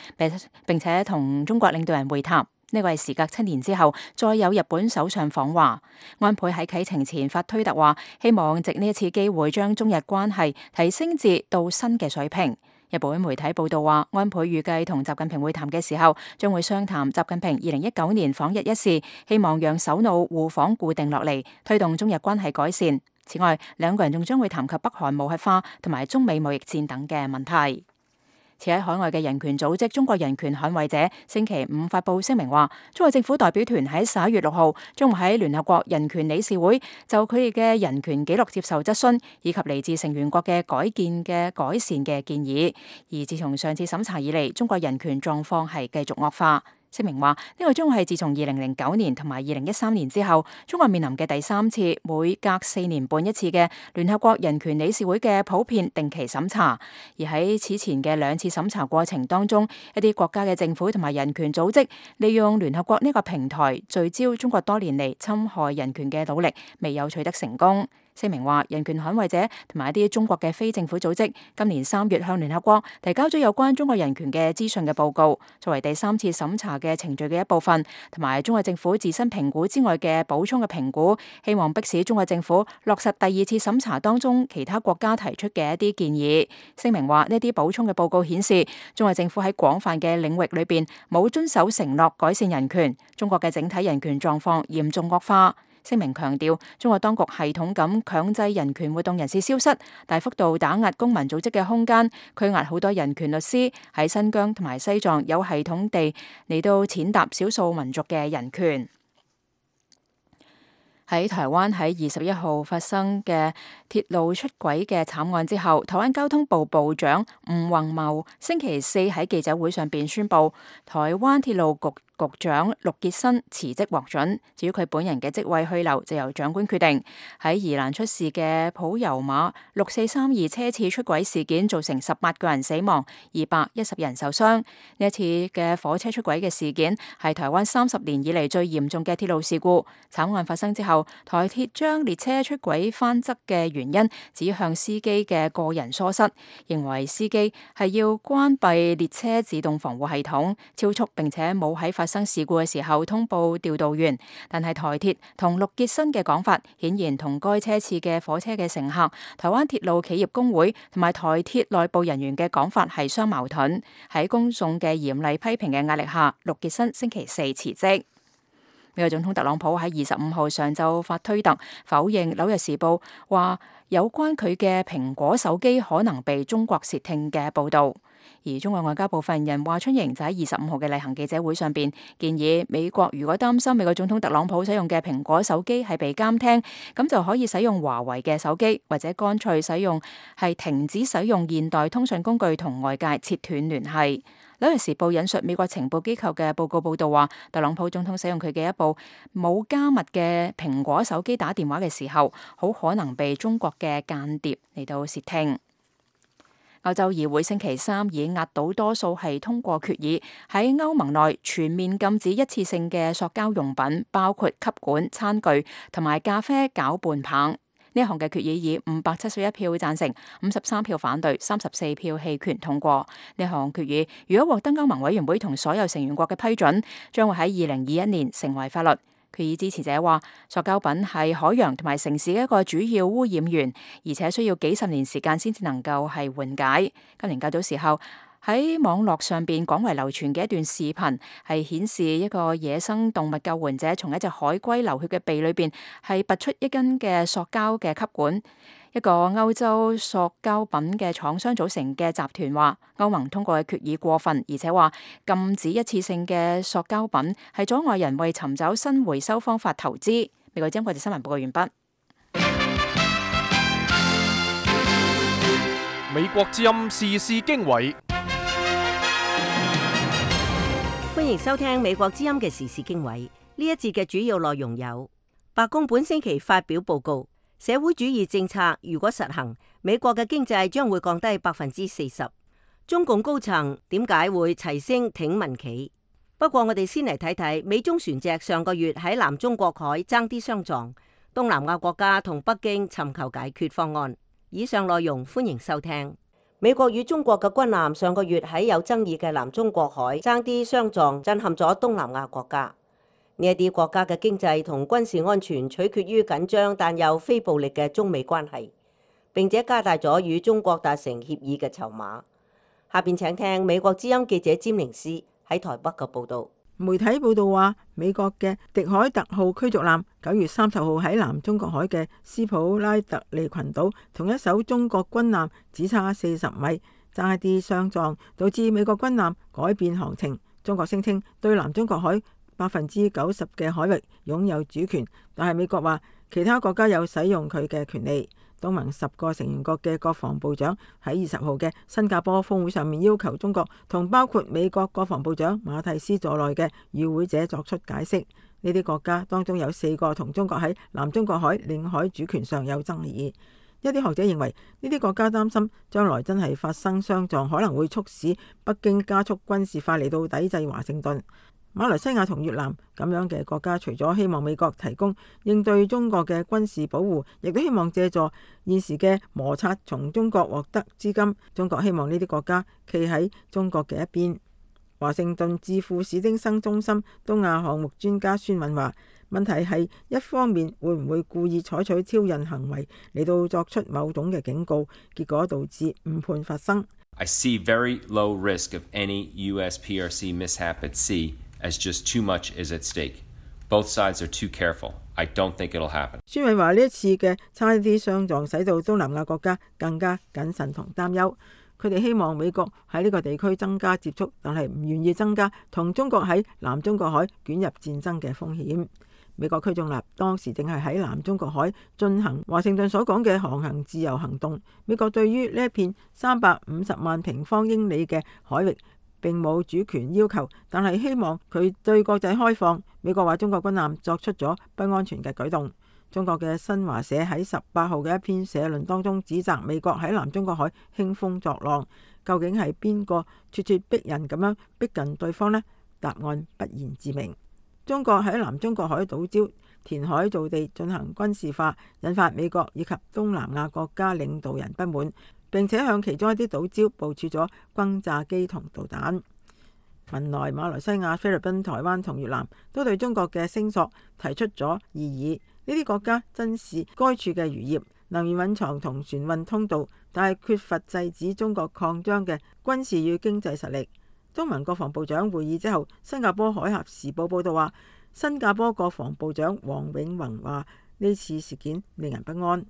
並且同中國領導人會談。呢個係時隔7年之後，再有日本首相訪華。安倍喺啟程前發推特話，希望藉呢一次機會將中日關係提升至到新嘅水平。日本媒體報道話，安倍預計同習近平會談嘅時候，將會商談習近平2019年訪日一事，希望讓首腦互訪固定落嚟，推動中日關係改善。此外，兩個人仲將會談及北韓無核化同埋中美貿易戰等嘅問題。持喺海外嘅人權組織中國人權捍衛者星期五發佈聲明話，中國政府代表團喺11月6號將會喺聯合國人權理事會就佢哋嘅人權紀錄接受質詢，以及嚟自成員國嘅改善嘅建議。而自從上次審查以嚟，中國人權狀況係繼續惡化。聲明話，呢個將會係自從2009年同埋2013年之後，中國面臨嘅第3次每隔4年半一次嘅聯合國人權理事會嘅普遍定期審查。而喺此前嘅2次審查過程當中，一啲國家嘅政府同埋人權組織利用聯合國呢個平台聚焦中國多年嚟侵害人權嘅努力，未有取得成功。聲明話，人權捍衛者同埋一啲中國嘅非政府組織今年3月向聯合國提交咗有關中國人權嘅資訊嘅報告，作為第3次審查嘅程序嘅一部分，同埋中國政府自身評估之外嘅補充嘅評估，希望迫使中國政府落實第2次審查當中其他國家提出嘅一啲建議。聲明話，呢啲補充嘅報告顯示，中國政府喺廣泛嘅領域裏邊冇遵守承諾改善人權，中國嘅整體人權狀況嚴重惡化。聲明強調，中國當局系統咁強制人權活動人士消失，大幅度打壓公民組織嘅空間，拘押好多人權律師，喺新疆同埋西藏有系統地嚟到踐踏少數民族嘅人權。喺台灣喺21號發生嘅鐵路出軌嘅慘案之後，台灣交通部部長吳宏茂星期四喺記者會上邊宣布，台灣鐵路局局長陸傑新辭職獲准，至於佢本人嘅職位去留就由長官決定。喺宜蘭出事嘅普悠瑪6432車次出軌事件造成18個人死亡，210人受傷。呢一次嘅火車出軌嘅事件係台灣30年以嚟最嚴重嘅鐵路事故。慘案發生之後，台鐵將列車出軌翻側嘅原因指向司機嘅個人疏失，認為司機係要關閉列車自動防護系統，超速並且冇喺發生事故嘅時候通報調度員。但係台鐵同陸傑新嘅講法，顯然同該車次嘅火車嘅乘客、台灣鐵路企業工會同埋台鐵內部人員嘅講法係相矛盾。喺公眾嘅嚴厲批評嘅壓力下，陸傑新星期四辭職。美國總統特朗普喺25號上晝發推特否認《紐約時報》話有關佢嘅蘋果手機可能被中國竊聽嘅報道。而中國外交部發言人華春瑩就喺25號嘅例行記者會上邊建議，美國如果擔心美國總統特朗普使用嘅蘋果手機係被監聽，咁就可以使用華為嘅手機，或者乾脆停止使用現代通訊工具同外界切斷聯繫。《紐約時報》引述美國情報機構嘅報告報道話，特朗普總統使用佢嘅一部冇加密嘅蘋果手機打電話嘅時候，好可能被中國嘅間諜嚟到竊聽。歐洲議會星期三以壓倒多數係通過決議，喺歐盟內全面禁止一次性嘅塑膠用品，包括吸管、餐具同埋咖啡攪拌棒。呢一項嘅決議以571票贊成、53票反對、34票棄權通過。呢項決議如果獲得歐盟委員會同所有成員國嘅批准，將會喺2021年成為法律。決議支持者話，塑膠品係海洋同埋城市嘅一個主要污染源，而且需要幾十年時間先至能夠係緩解。今年較早時候喺網絡上邊廣為流傳嘅一段視頻，係顯示一個野生動物救援者從一隻海龜流血嘅鼻裏邊係拔出一根嘅塑膠嘅吸管。一個歐洲塑膠品嘅廠商組成嘅集團話，歐盟通過嘅決議過分，而且話禁止一次性嘅塑膠品係阻礙人為尋找新回收方法投資。美國之音國際新聞報告完畢。美國之音時事經緯，歡迎收聽美國之音嘅時事經緯。呢一節嘅主要內容有：白宮本星期發表報告，社會主義政策如果實行，美國嘅經濟將會降低40%。中共高層點解會齊聲挺民企？不過我哋先嚟睇睇美中船隻上個月喺南中國海爭啲相撞，東南亞國家同北京尋求解決方案。以上內容歡迎收聽。美國與中國嘅軍艦上個月喺有爭議嘅南中國海爭啲相撞，震撼咗東南亞國家。呢一啲國家嘅經濟同軍事安全取決於緊張但又非暴力嘅中美關係，並且加大咗與中國達成協議嘅籌碼。下邊請聽美國之音記者詹寧斯喺台北嘅報導。媒體報道話，美國嘅迪海特號驅逐艦9月30號喺南中國海嘅斯普拉特利群島同一艘中國軍艦只差40米，爭一啲相撞，導致美國軍艦改變航程。中國聲稱對南中國海90%嘅海域擁有主權，但係美國話其他國家有使用佢嘅權利。東盟10個成員國嘅國防部長喺20號嘅新加坡峰會上面要求中國同包括美國國防部長馬蒂斯在內嘅與會者作出解釋。呢啲國家當中有4個同中國喺南中國海領海主權上有爭議。一啲學者認為呢啲國家擔心將來真係發生相撞，可能會促使北京加速軍事化嚟到抵制華盛頓。馬來西亞同越南咁樣嘅國家，除咗希望美國提供應對中國嘅軍事保護，亦都希望借助現時嘅摩擦從中國獲得資金。中國希望呢啲國家企喺中國嘅一邊。華盛頓智庫史丁生中心東亞項目專家孫敏話，問題係一方面會唔會故意採取挑釁行為嚟到作出某種嘅警告，結果導致誤判發生。I see very low risk of any US PRC mishap at sea, as just too much is at stake. Both sides are too careful. I don't think it'll happen. 孫敏話呢一次嘅差啲相撞，使到東南亞國家更加謹慎同擔憂。佢哋希望美國喺呢個地區增加接觸，但係唔願意增加同中國喺南中國海捲入戰爭嘅風險。美國驅逐艦當時正係喺南中國海進行華盛頓所講嘅航行自由行動。美國對於呢一片350萬平方英里嘅海域並冇主權要求，但係希望佢對國際開放。美國話中國軍艦作出咗不安全嘅舉動。中國嘅新華社喺18號嘅一篇社論當中指責美國喺南中國海興風作浪。究竟係邊個咄咄逼人咁樣逼近對方呢？答案不言自明。中國喺南中國海島礁填海造地進行軍事化，引發美國以及東南亞國家領導人不滿，並且向其中一啲島礁部署咗轟炸機同導彈。文萊、馬來西亞、菲律賓、台灣同越南都對中國嘅聲索提出咗異議。呢啲國家珍視該處嘅漁業、能源蘊藏同船運通道，但係缺乏制止中國擴張嘅軍事與經濟實力。東盟國防部長會議之後，新加坡海峽時報報道話，新加坡國防部長黃永宏話呢次事件令人不安。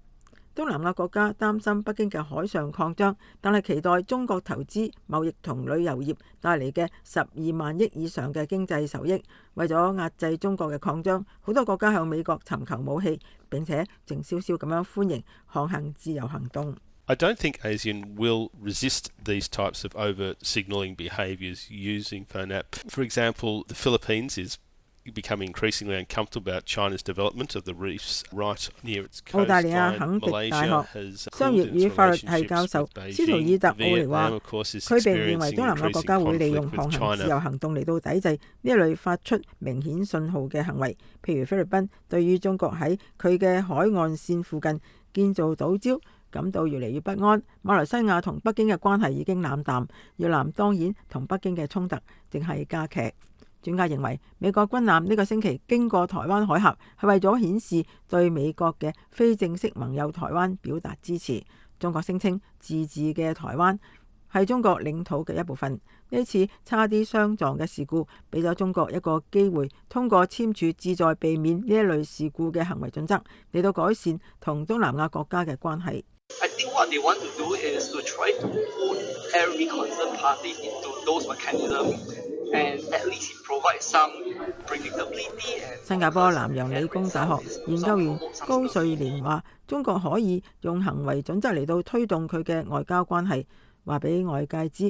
東南亞國家擔心北京嘅海上擴張，但係期待中國投資貿易同旅遊業帶嚟嘅12萬億以上嘅經濟收益。為咗壓制中國嘅擴張，好多國家向美國尋求武器，並且靜悄悄咁樣歡迎航行自由行動。I don't think ASEAN will resist these types of overt signalling behaviours using FONAP. For example, the Philippines is becoming increasingly uncomfortable about China's development of the reefs right near its coastline. 澳大利亞肯迪大學商業與法律系教授斯圖爾特奧尼話，佢並唔認為東南亞國家會利用航行自由行動嚟到抵制呢一類發出明顯信號嘅行為，譬如菲律賓對於中國喺佢嘅海岸線附近建造島礁感到越嚟越不安。馬來西亞同北京嘅關係已經冷淡，越南當然同北京嘅衝突正係加劇。專家認為，美國軍艦呢個星期經過台灣海峽，係為咗顯示對美國嘅非正式盟友台灣表達支持。中國聲稱自治嘅台灣係中國領土嘅一部分。呢次差啲相撞嘅事故，俾咗中國一個機會，通過簽署旨在避免呢一類事故嘅行為準則，嚟到改善同東南亞國家嘅關係。I think what they want to do is to try to put every concerned party into those mechanisms and at least provide some predictability. 新加坡南洋理工大學研究員高瑞蓮話：中國可以用行為準則嚟到推動佢嘅外交關係，話俾外界知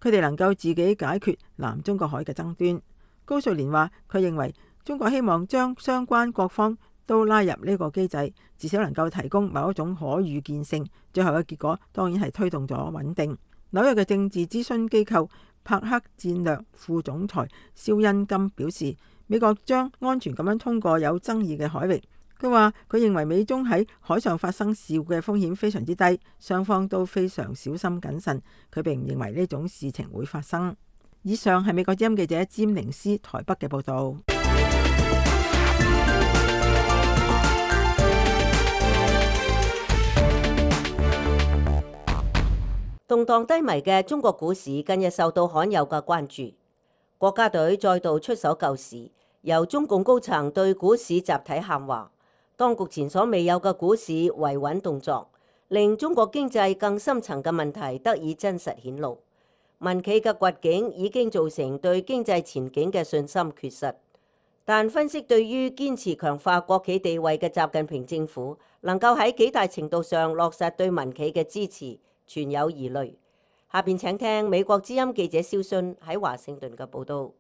佢哋能夠自己解決南中國海嘅爭端。高瑞蓮話：佢認為中國希望將相關各方都拉入呢個機制，至少能夠提供某一種可預見性。最後嘅結果當然係推動咗穩定。紐約嘅政治諮詢機構柏克戰略副總裁肖恩金表示，美國將安全咁樣通過有爭議嘅海域。佢話佢認為美中喺海上發生事故嘅風險非常之低，雙方都非常小心謹慎。佢並唔認為呢種事情會發生。以上係美國之音記者詹寧斯台北嘅報導。動盪低迷嘅中國股市近日受到罕有嘅關注，國家隊再度出手救市，由中共高層對股市集體喊話，當局前所未有嘅股市維穩動作，令中國經濟更深層嘅問題得以真實顯露。民企嘅掘境已經造成對經濟前景嘅信心缺失，但分析對於堅持強化國企地位嘅習近平政府，能夠喺幾大程度上落實對民企嘅支持，存有疑慮。下邊請聽美國之音記者蕭迅喺華盛頓嘅報道。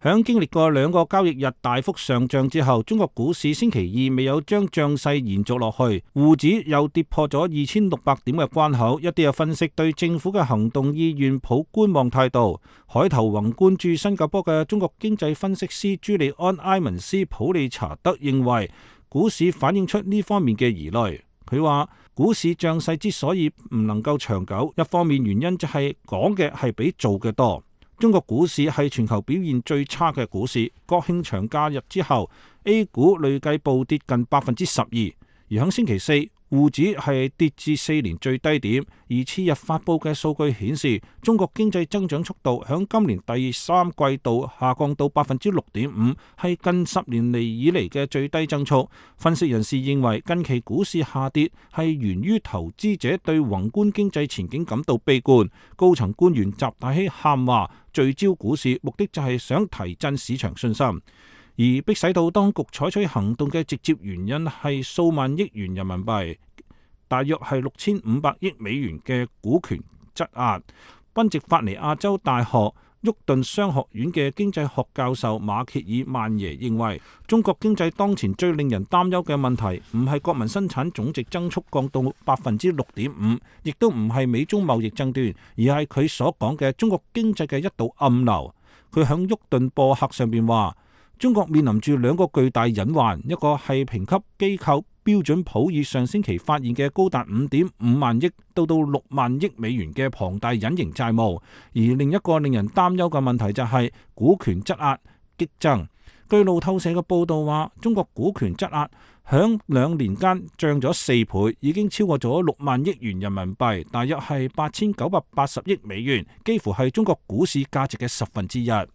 響經歷過2個交易日大幅上漲之後，中國股市星期二未有將漲勢延續落去，滬指又跌破咗2600點嘅關口。一啲嘅分析對政府嘅行動意願抱觀望態度。海頭宏觀駐新加坡嘅中國經濟分析師朱利安·埃文斯普利查德認為，股市反映出呢方面嘅疑慮。佢話股市漲勢之所以唔能夠長久，一方面原因就係講嘅係比做嘅多。中國股市係全球表現最差嘅股市，國慶長假日之後 A 股累計暴跌近12%，而喺星期四滬指係跌至4年最低點。而次日發布嘅數據顯示，中國經濟增長速度響今年第3季度下降到 6.5%， 係近10年嚟以嚟嘅最低增速。分析人士認為，近期股市下跌係源於投資者對宏觀經濟前景感到悲觀，高層官員習大熙喊話聚焦股市，目的就係想提振市場信心。而迫使到當局採取行動嘅直接原因係數萬億元人民幣，大約係6500億美元嘅股權質押。賓夕法尼亞州大學沃頓商學院嘅經濟學教授馬歇爾曼耶認為，中國經濟當前最令人擔憂嘅問題唔係國民生產總值增速降到 6.5%， 亦都唔係美中貿易爭端，而係佢所講嘅中國經濟嘅一道暗流。佢響沃頓播客上邊話，中國面臨住2個巨大隱患，一個係評級機構標準普爾上星期發現嘅高達 5.5 萬億到6萬億美元嘅龐大隱形債務，而另一個令人擔憂嘅問題就係股權質押激增。據路透社嘅報道話，中國股權質押響2年間漲咗4倍，已經超過咗6萬億元人民幣，大約係8980億美元，幾乎係中國股市價值嘅1/10。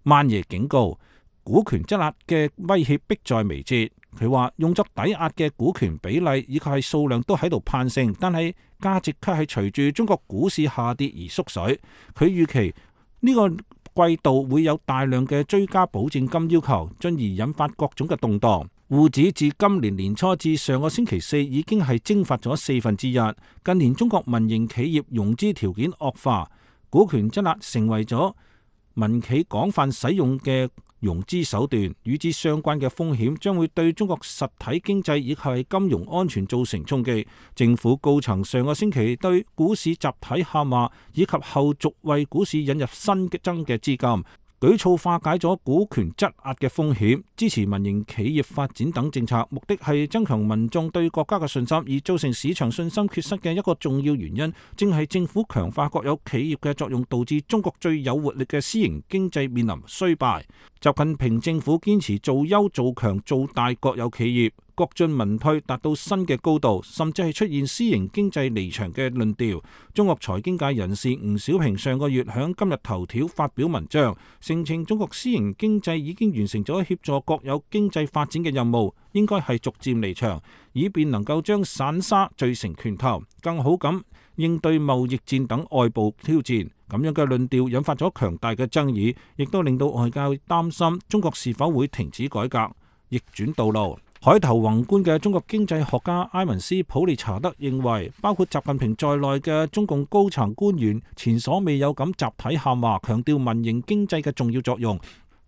曼耶警告，股權質押嘅威脅迫在眉睫。佢話用作抵押嘅股權比例以及係數量都喺度攀升，但係價值卻係隨住中國股市下跌而縮水。佢預期呢個季度會有大量嘅追加保證金要求，進而引發各種嘅動盪。滬指自今年年初至上個星期四已經係蒸發咗1/4。近年中國民營企業融資條件惡化，股權質押成為咗民企廣泛使用嘅融資手段與之相關嘅風險將會對中國實體經濟以及係金融安全造成衝擊。政府高層上個星期對股市集體下馬以及後續為股市引入新增嘅資金，舉措化解咗股權質押嘅風險，支持民營企業發展等政策，目的係增強民眾對國家嘅信心。而造成市場信心缺失嘅一個重要原因，正係政府強化國有企業嘅作用，導致中國最有活力嘅私營經濟面臨衰敗。習近平政府堅持做優做強做大國有企業，國進民退達到新嘅高度，甚至係出現私營經濟離場嘅論調。中國財經界人士吳小平上個月響今日頭條發表文章，聲稱中國私營經濟已經完成咗協助國有經濟發展嘅任務，應該係逐漸離場，以便能夠將散沙聚成拳頭，更好咁應對貿易戰等外部挑戰。咁樣嘅論調引發咗強大嘅爭議，亦都令到外界擔心中國是否會停止改革，逆轉道路。海頭宏觀嘅中國經濟學家埃文斯普利查德認為，包括習近平在內嘅中共高層官員前所未有咁集體喊話，強調民營經濟嘅重要作用，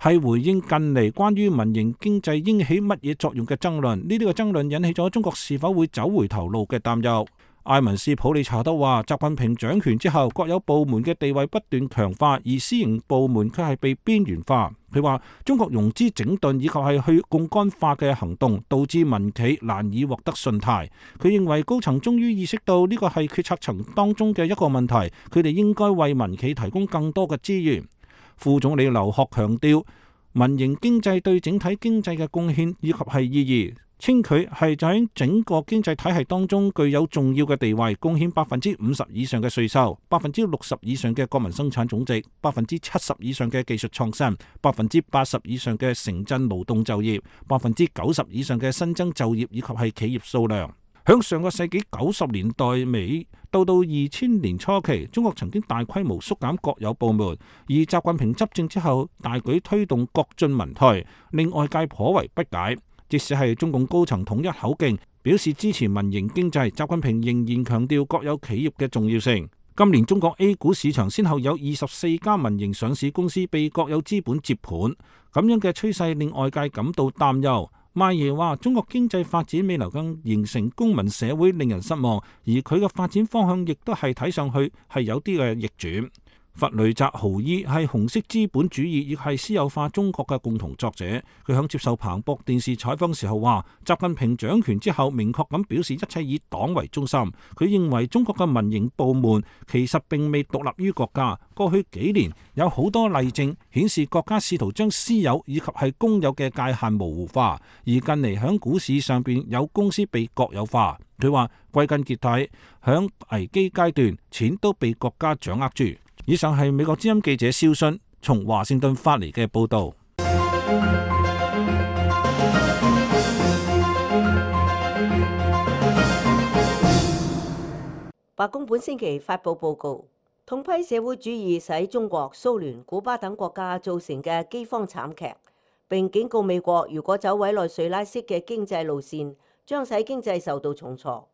係回應近嚟關於民營經濟應起乜嘢作用嘅爭論。呢啲嘅爭論引起咗中國是否會走回頭路嘅擔憂。埃文斯普利查德話，習近平掌權之後，國有部門嘅地位不斷強化，而私營部門卻係被邊緣化。佢話中國融資整頓以及係去槓桿化嘅行動，導致民企難以獲得信貸。佢認為高層終於意識到呢個係決策層當中嘅一個問題，佢哋應該為民企提供更多嘅資源。副總理劉鶴強調，民營經濟對整體經濟嘅貢獻以及係意義，稱佢係就喺整個經濟體系當中具有重要嘅地位，貢獻50%以上嘅稅收，60%以上嘅國民生產總值，70%以上嘅技術創新，80%以上嘅城鎮勞動就業，90%以上嘅新增就業以及係企業數量。響上個世紀90年代尾到2000年初期，中國曾經大規模縮減國有部門，而習近平執政之後大舉推動國進民退，令外界頗為不解。即使係中共高層統一口徑表示支持民營經濟，習近平仍然強調國有企業嘅重要性。今年中國 A 股市場先後有24家民營上市公司被國有資本接盤，咁樣嘅趨勢令外界感到擔憂。邁耶話中國經濟發展未能夠形成公民社會令人失望，而佢嘅發展方向亦都係睇上去係有啲嘅逆轉。弗雷澤豪伊係紅色資本主義亦係私有化中國嘅共同作者。佢響接受彭博電視採訪時候話，習近平掌權之後明確咁表示一切以黨為中心。佢認為中國嘅民營部門其實並未獨立於國家。過去幾年有好多例證顯示國家試圖將私有以及係公有嘅界限模糊化，而近嚟響股市上邊有公司被國有化。佢話歸根結底，響危機階段錢都被國家掌握住。以上係美國之音記者蕭信從華盛頓發嚟嘅報導。白宮本星期發布報告，痛批社會主義使中國、蘇聯、古巴等國家造成嘅饑荒慘劇，並警告美國如果走委內瑞拉式嘅經濟路線，將使經濟受到重挫。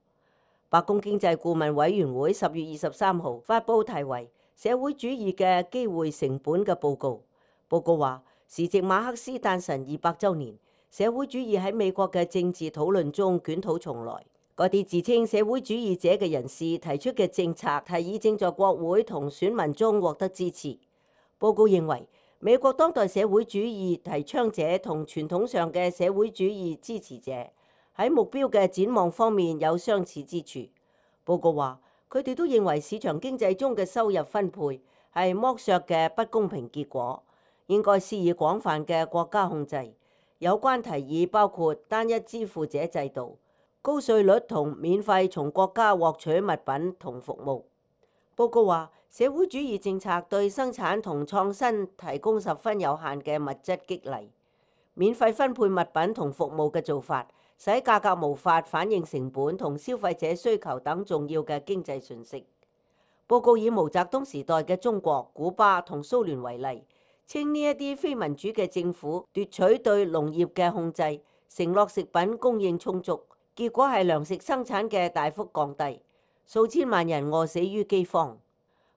白宮經濟顧問委員會10月23號發布題為社會主義嘅機會成本嘅報告。報告話，時值馬克思誕辰200週年，社會主義喺美國嘅政治討論中捲土重來。嗰啲自稱社會主義者嘅人士提出嘅政策提議正在國會同選民中獲得支持。報告認為，美國當代社會主義提倡者同傳統上嘅社會主義支持者喺目標嘅展望方面有相似之處。報告話，佢哋都認為市場經濟中嘅收入分配係剝削嘅不公平結果，應該施以廣泛嘅國家控制。有關提議包括單一支付者制度、高稅率同免費從國家獲取物品同服務。報告話，社會主義政策對生產同創新提供十分有限嘅物質激勵，免費分配物品同服務嘅做法，使價格無法反映成本同消費者需求等重要嘅經濟訊息。報告以毛澤東時代嘅中國、古巴同蘇聯為例，稱呢一啲非民主嘅政府奪取對農業嘅控制，承諾食品供應充足，結果係糧食生產嘅大幅降低，數千萬人餓死於饑荒。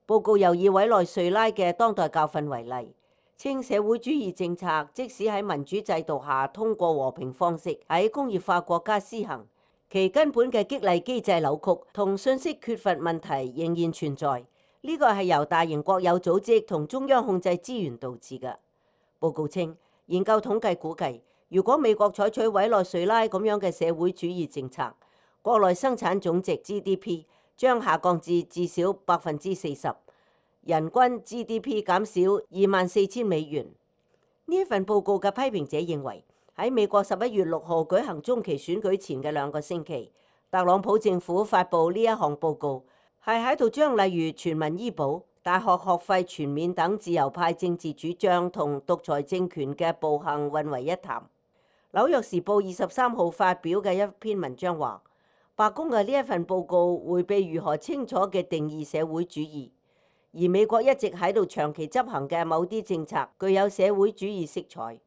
報告又以委內瑞拉嘅當代教訓為例，稱社會主義政策即使喺民主制度下通過和平方式喺工業化國家施行，其根本嘅激勵機制扭曲同信息缺乏問題仍然存在。呢個係由大型國有組織同中央控制資源導致嘅。報告稱，研究統計估計，如果美國採取委內瑞拉咁樣嘅社會主義政策，國內生產總值 GDP 將下降至至少40%，人均 GDP 減少24,000美元。呢一份報告嘅批評者認為，喺美國11月6號舉行中期選舉前嘅2個星期，特朗普政府發布呢一項報告，係喺度將例如全民醫保、大學學費全免等自由派政治主張同獨裁政權嘅暴行混為一談。紐約時報23號發表嘅一篇文章話，白宮嘅呢一份報告迴避如何清楚嘅定義社會主義，而美國一直喺度長期執行嘅某啲政策具有社會主義色彩。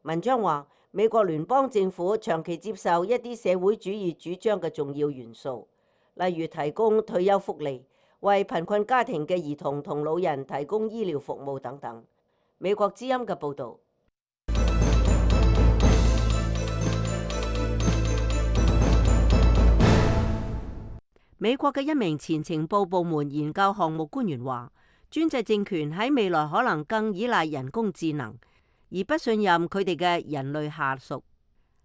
文章話，美國聯邦政府長期接受一啲社會主義主張嘅重要元素，例如提供退休福利、為貧困家庭嘅兒童同老人提供醫療服務等等。美國之音嘅報導。美國嘅一名前情報部門研究項目官員話，專制政權喺未來可能更依賴人工智能，而不信任佢哋嘅人類下屬。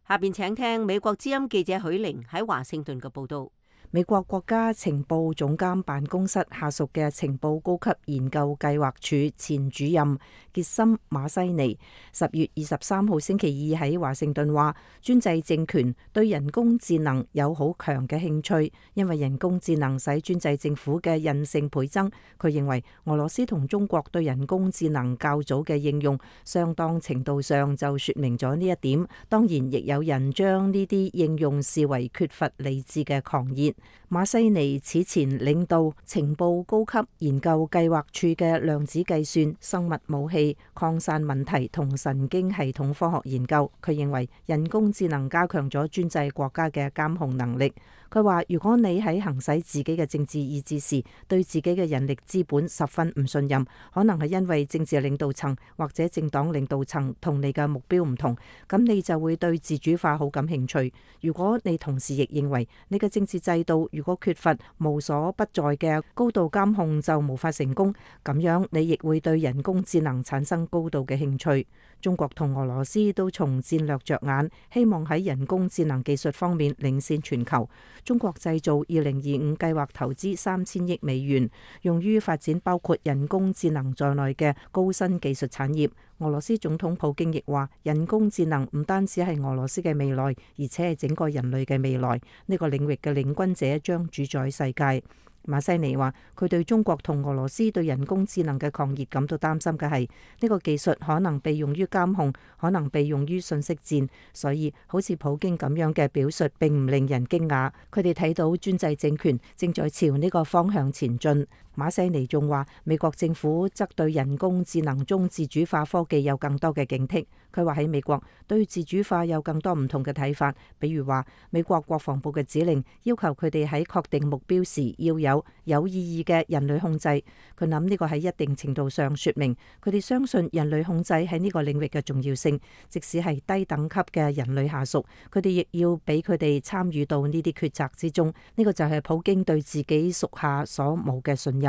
下邊請聽美國之音記者許玲喺華盛頓嘅報導。美國國家情報總監辦公室下屬嘅情報高級研究計劃處前主任傑森馬西尼10月23號星期二喺華盛頓話，專制政權對人工智能有好強嘅興趣，因為人工智能使專制政府嘅韌性倍增。佢認為俄羅斯同中國對人工智能較早嘅應用，相當程度上就說明咗呢一點。當然，亦有人將呢啲應用視為缺乏理智嘅狂熱。馬西尼此前領導情報高級研究計劃處嘅量子計算、生物武器、擴散問題同神經系統科學研究。佢認為人工智能加強咗專制國家嘅監控能力。佢話，如果你喺行使自己嘅政治意志時，對自己嘅人力資本十分唔信任，可能係因為政治領導層或者政黨領導層同你嘅目標唔同，咁你就會對自主化好感興趣。如果你同時亦認為你嘅政治制度如果缺乏無所不在嘅高度監控就無法成功，咁樣你亦會對人工智能產生高度嘅興趣。中國同俄羅斯都從戰略着眼，希望喺人工智能技術方面領先全球。中國製造2025計劃投資3000億美元，用於發展包括人工智能在內嘅高新技術產業。俄羅斯總統普京亦話，人工智能唔單止係俄羅斯嘅未來，而且係整個人類嘅未來。呢個領域嘅領軍者將主宰世界。馬西尼話，佢對中國同俄羅斯對人工智能嘅狂熱感到擔心嘅係，呢個技術可能被用於監控，可能被用於信息戰，所以好似普京咁樣嘅表述並唔令人驚訝。佢哋睇到專制政權正在朝呢個方向前進。馬西尼仲話，美國政府則對人工智能中自主化科技有更多嘅警惕。佢話喺美國對自主化有更多唔同嘅睇法，比如話美國國防部嘅指令要求佢哋喺確定目標時要有意義嘅人類控制。佢諗呢個喺一定程度上說明佢哋相信人類控制喺呢個領域嘅重要性，即使係低等級嘅人類下屬，佢哋亦要俾佢哋參與到呢啲決策之中。呢個就係普京對自己屬下所冇嘅信任。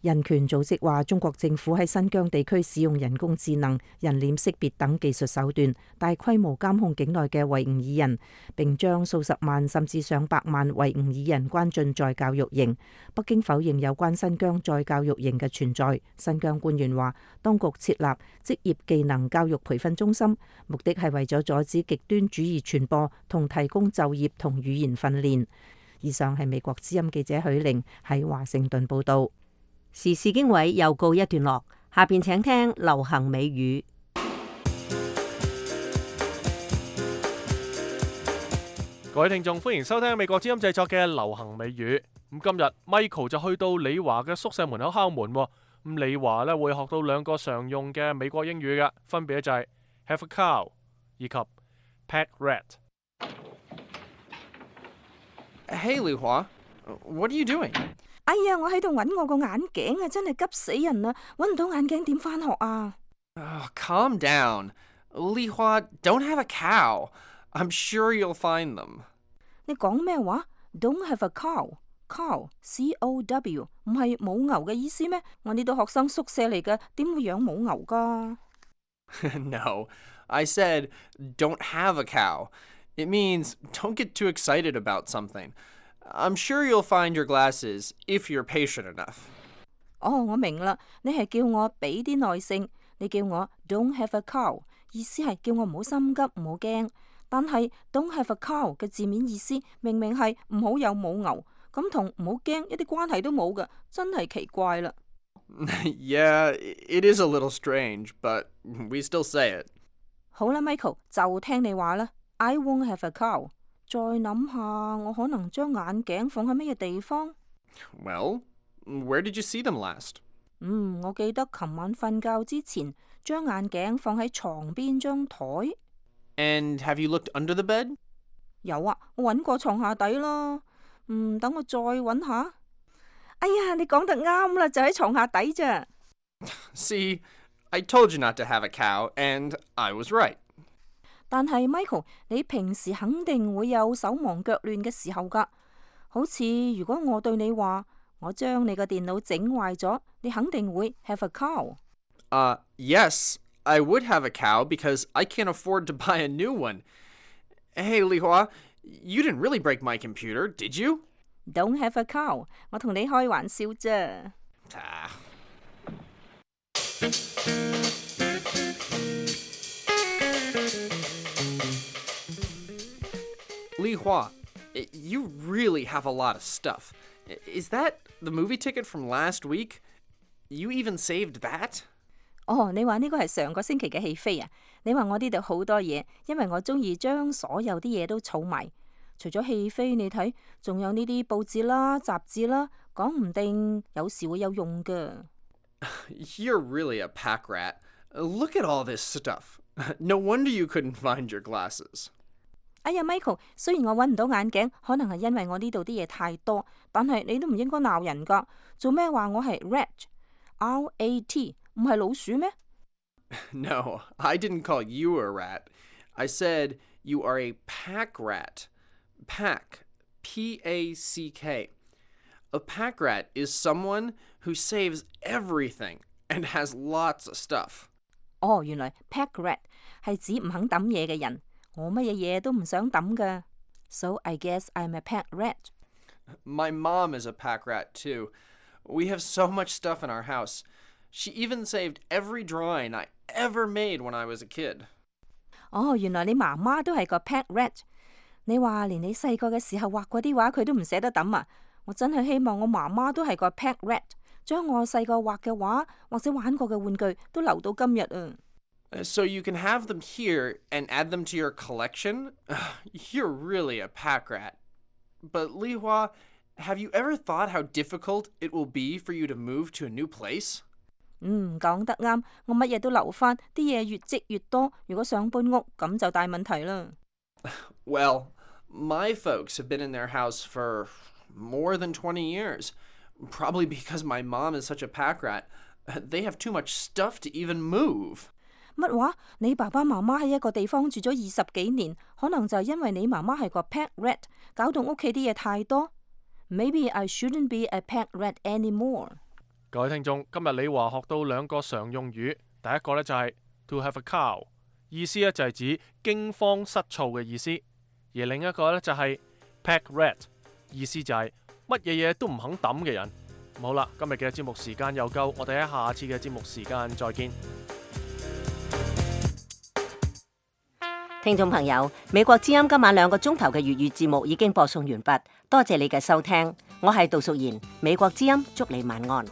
人權組織話，中國政府喺新疆地區使用人工智能、人臉識別等技術手段，大規模監控境內嘅維吾爾人，並將數十萬甚至上百萬維吾爾人關進再教育營。北京否認有關新疆再教育營嘅存在。新疆官員話，當局設立職業技能教育培訓中心，目的係為咗阻止極端主義傳播同提供就業同語言訓練。以上係美國之音記者許玲喺華盛頓報道。時事經緯又告一段落，下邊請聽流行美語。各位聽眾，歡迎收聽美國之音製作嘅流行美語。咁今日 Michael 就去到李華嘅宿舍門口敲門。咁李華咧會學到兩個常用嘅美國英語嘅，分別就係 have a cow 以及 pet rat。Hey 李華，What are you doing？哎呀，我喺度揾我個眼鏡啊，真係急死人啦！揾唔到眼鏡點返學啊？ Oh, calm down. Li Hua, don't have a cow. I'm sure you'll find them. 你講咩話 ？Don't have a cow. Cow, C-O-W， 唔係母牛嘅意思咩？我呢度學生宿舍嚟嘅，點會養母牛㗎？ No, I said don't have a cow. It means don't get too excited about something. I'm sure you'll find your glasses if you're patient enough. 哦，我明啦，你係叫我俾啲耐性，你叫我 don't have a cow， 意思係叫我唔好心急，唔好驚。但係 don't have a cow 嘅字面意思明明係唔好有母牛，咁同唔好驚一啲關係都冇㗎，真係奇怪啦。Yeah, it is a little strange, but we still say it. 好啦 ，Michael， 就聽你話啦。I won't have a cow。再諗下，我可能將眼鏡放喺乜嘢地方 ？Well, where did you see them last? 我記得琴晚瞓覺之前，將眼鏡放喺床邊張台。And have you looked under the bed? 有啊，我揾過床下底啦。等我再揾下。哎呀，你講得啱啦，就喺床下底咋。See, I told you not to have a cow, and I was right. 但係 Michael， 你平時肯定會有手忙腳亂嘅時候㗎。好似如果我對你話，我將你個電腦整壞咗，你肯定會 have a cow。Yes, I would have a cow because I can't afford to buy a new one. Hey, Li Hua, you didn't really break my computer, did you? Don't have a cow， 我同你開玩笑啫。Li Hua, you really have a lot of stuff. Is that the movie ticket from last week? You even saved that? 哦，你話呢個係上個星期嘅戲飛啊？你話我呢度好多嘢，因為我中意將所有啲嘢都儲埋。除咗戲飛，你睇，仲有呢啲報紙啦、雜誌啦，講唔定有時會有用㗎。You're really a pack rat. Look at all this stuff. No wonder you couldn't find your glasses. 哎呀 ，Michael， 雖然我揾唔到眼鏡，可能係因為我呢度啲嘢太多，但係你都唔應該鬧人㗎。做咩話我係 rat？R-A-T 唔係老鼠咩？ No, I didn't call you a rat. I said you are a pack rat. Pack, P-A-C-K. A pack rat is someone who saves everything and has lots of stuff. 哦，原來 pack rat 係指唔肯抌嘢嘅人。我乜嘢嘢都唔想抌㗎。So I guess I'm a pack rat. My mom is a pack rat too. We have so much stuff in our house. She even saved every drawing I ever made when I was a kid. 哦，原來你媽媽都係個 pack rat。你話連你細個嘅時候畫嗰啲畫佢都唔捨得抌啊！我真係希望我媽媽都係個 pack rat， 將我細個畫嘅畫或者玩過嘅玩具都留到今日啊！ So you can have them here and add them to your collection? You're really a pack rat. But Li Hua, have you ever thought how difficult it will be for you to move to a new place? 講得啱，我乜嘢都留返，啲嘢越積越多，如果想搬屋咁就大問題啦。Well, my folks have been in their house for more than 20 years. Probably because my mom is such a pack rat. They have too much stuff to even move. 乜話？你爸爸媽媽喺一個地方住咗20幾年，可能就係因為你媽媽係個 pack rat， 搞到屋企啲嘢太多。Maybe I shouldn't be a pack rat anymore。各位聽眾，今日李華學到兩個常用語，第一個呢就係 to have a cow， 意思呢就係指驚慌失措嘅意思，而另一個呢就係 pack rat， 意思就係乜嘢嘢都唔肯抌嘅人。好啦，今日嘅節目時間又夠，我哋喺下次嘅節目時間再見。聽眾朋友，美國之音今晚2個鐘頭嘅粵語節目已經播送完畢，多謝你嘅收聽，我係杜淑賢，美國之音祝你晚安。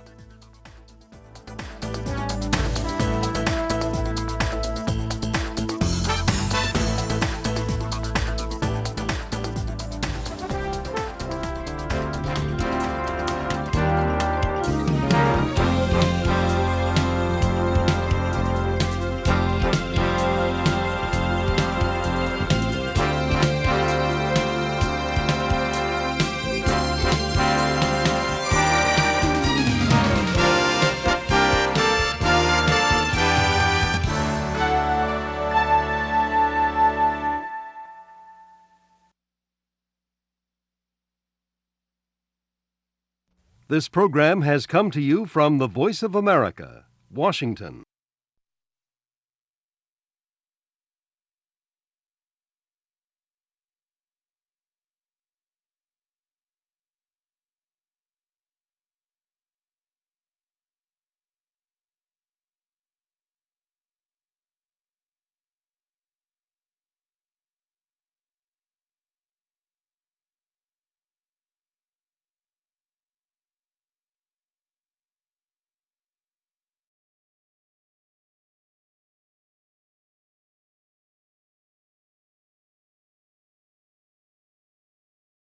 This program has come to you from the Voice of America, Washington.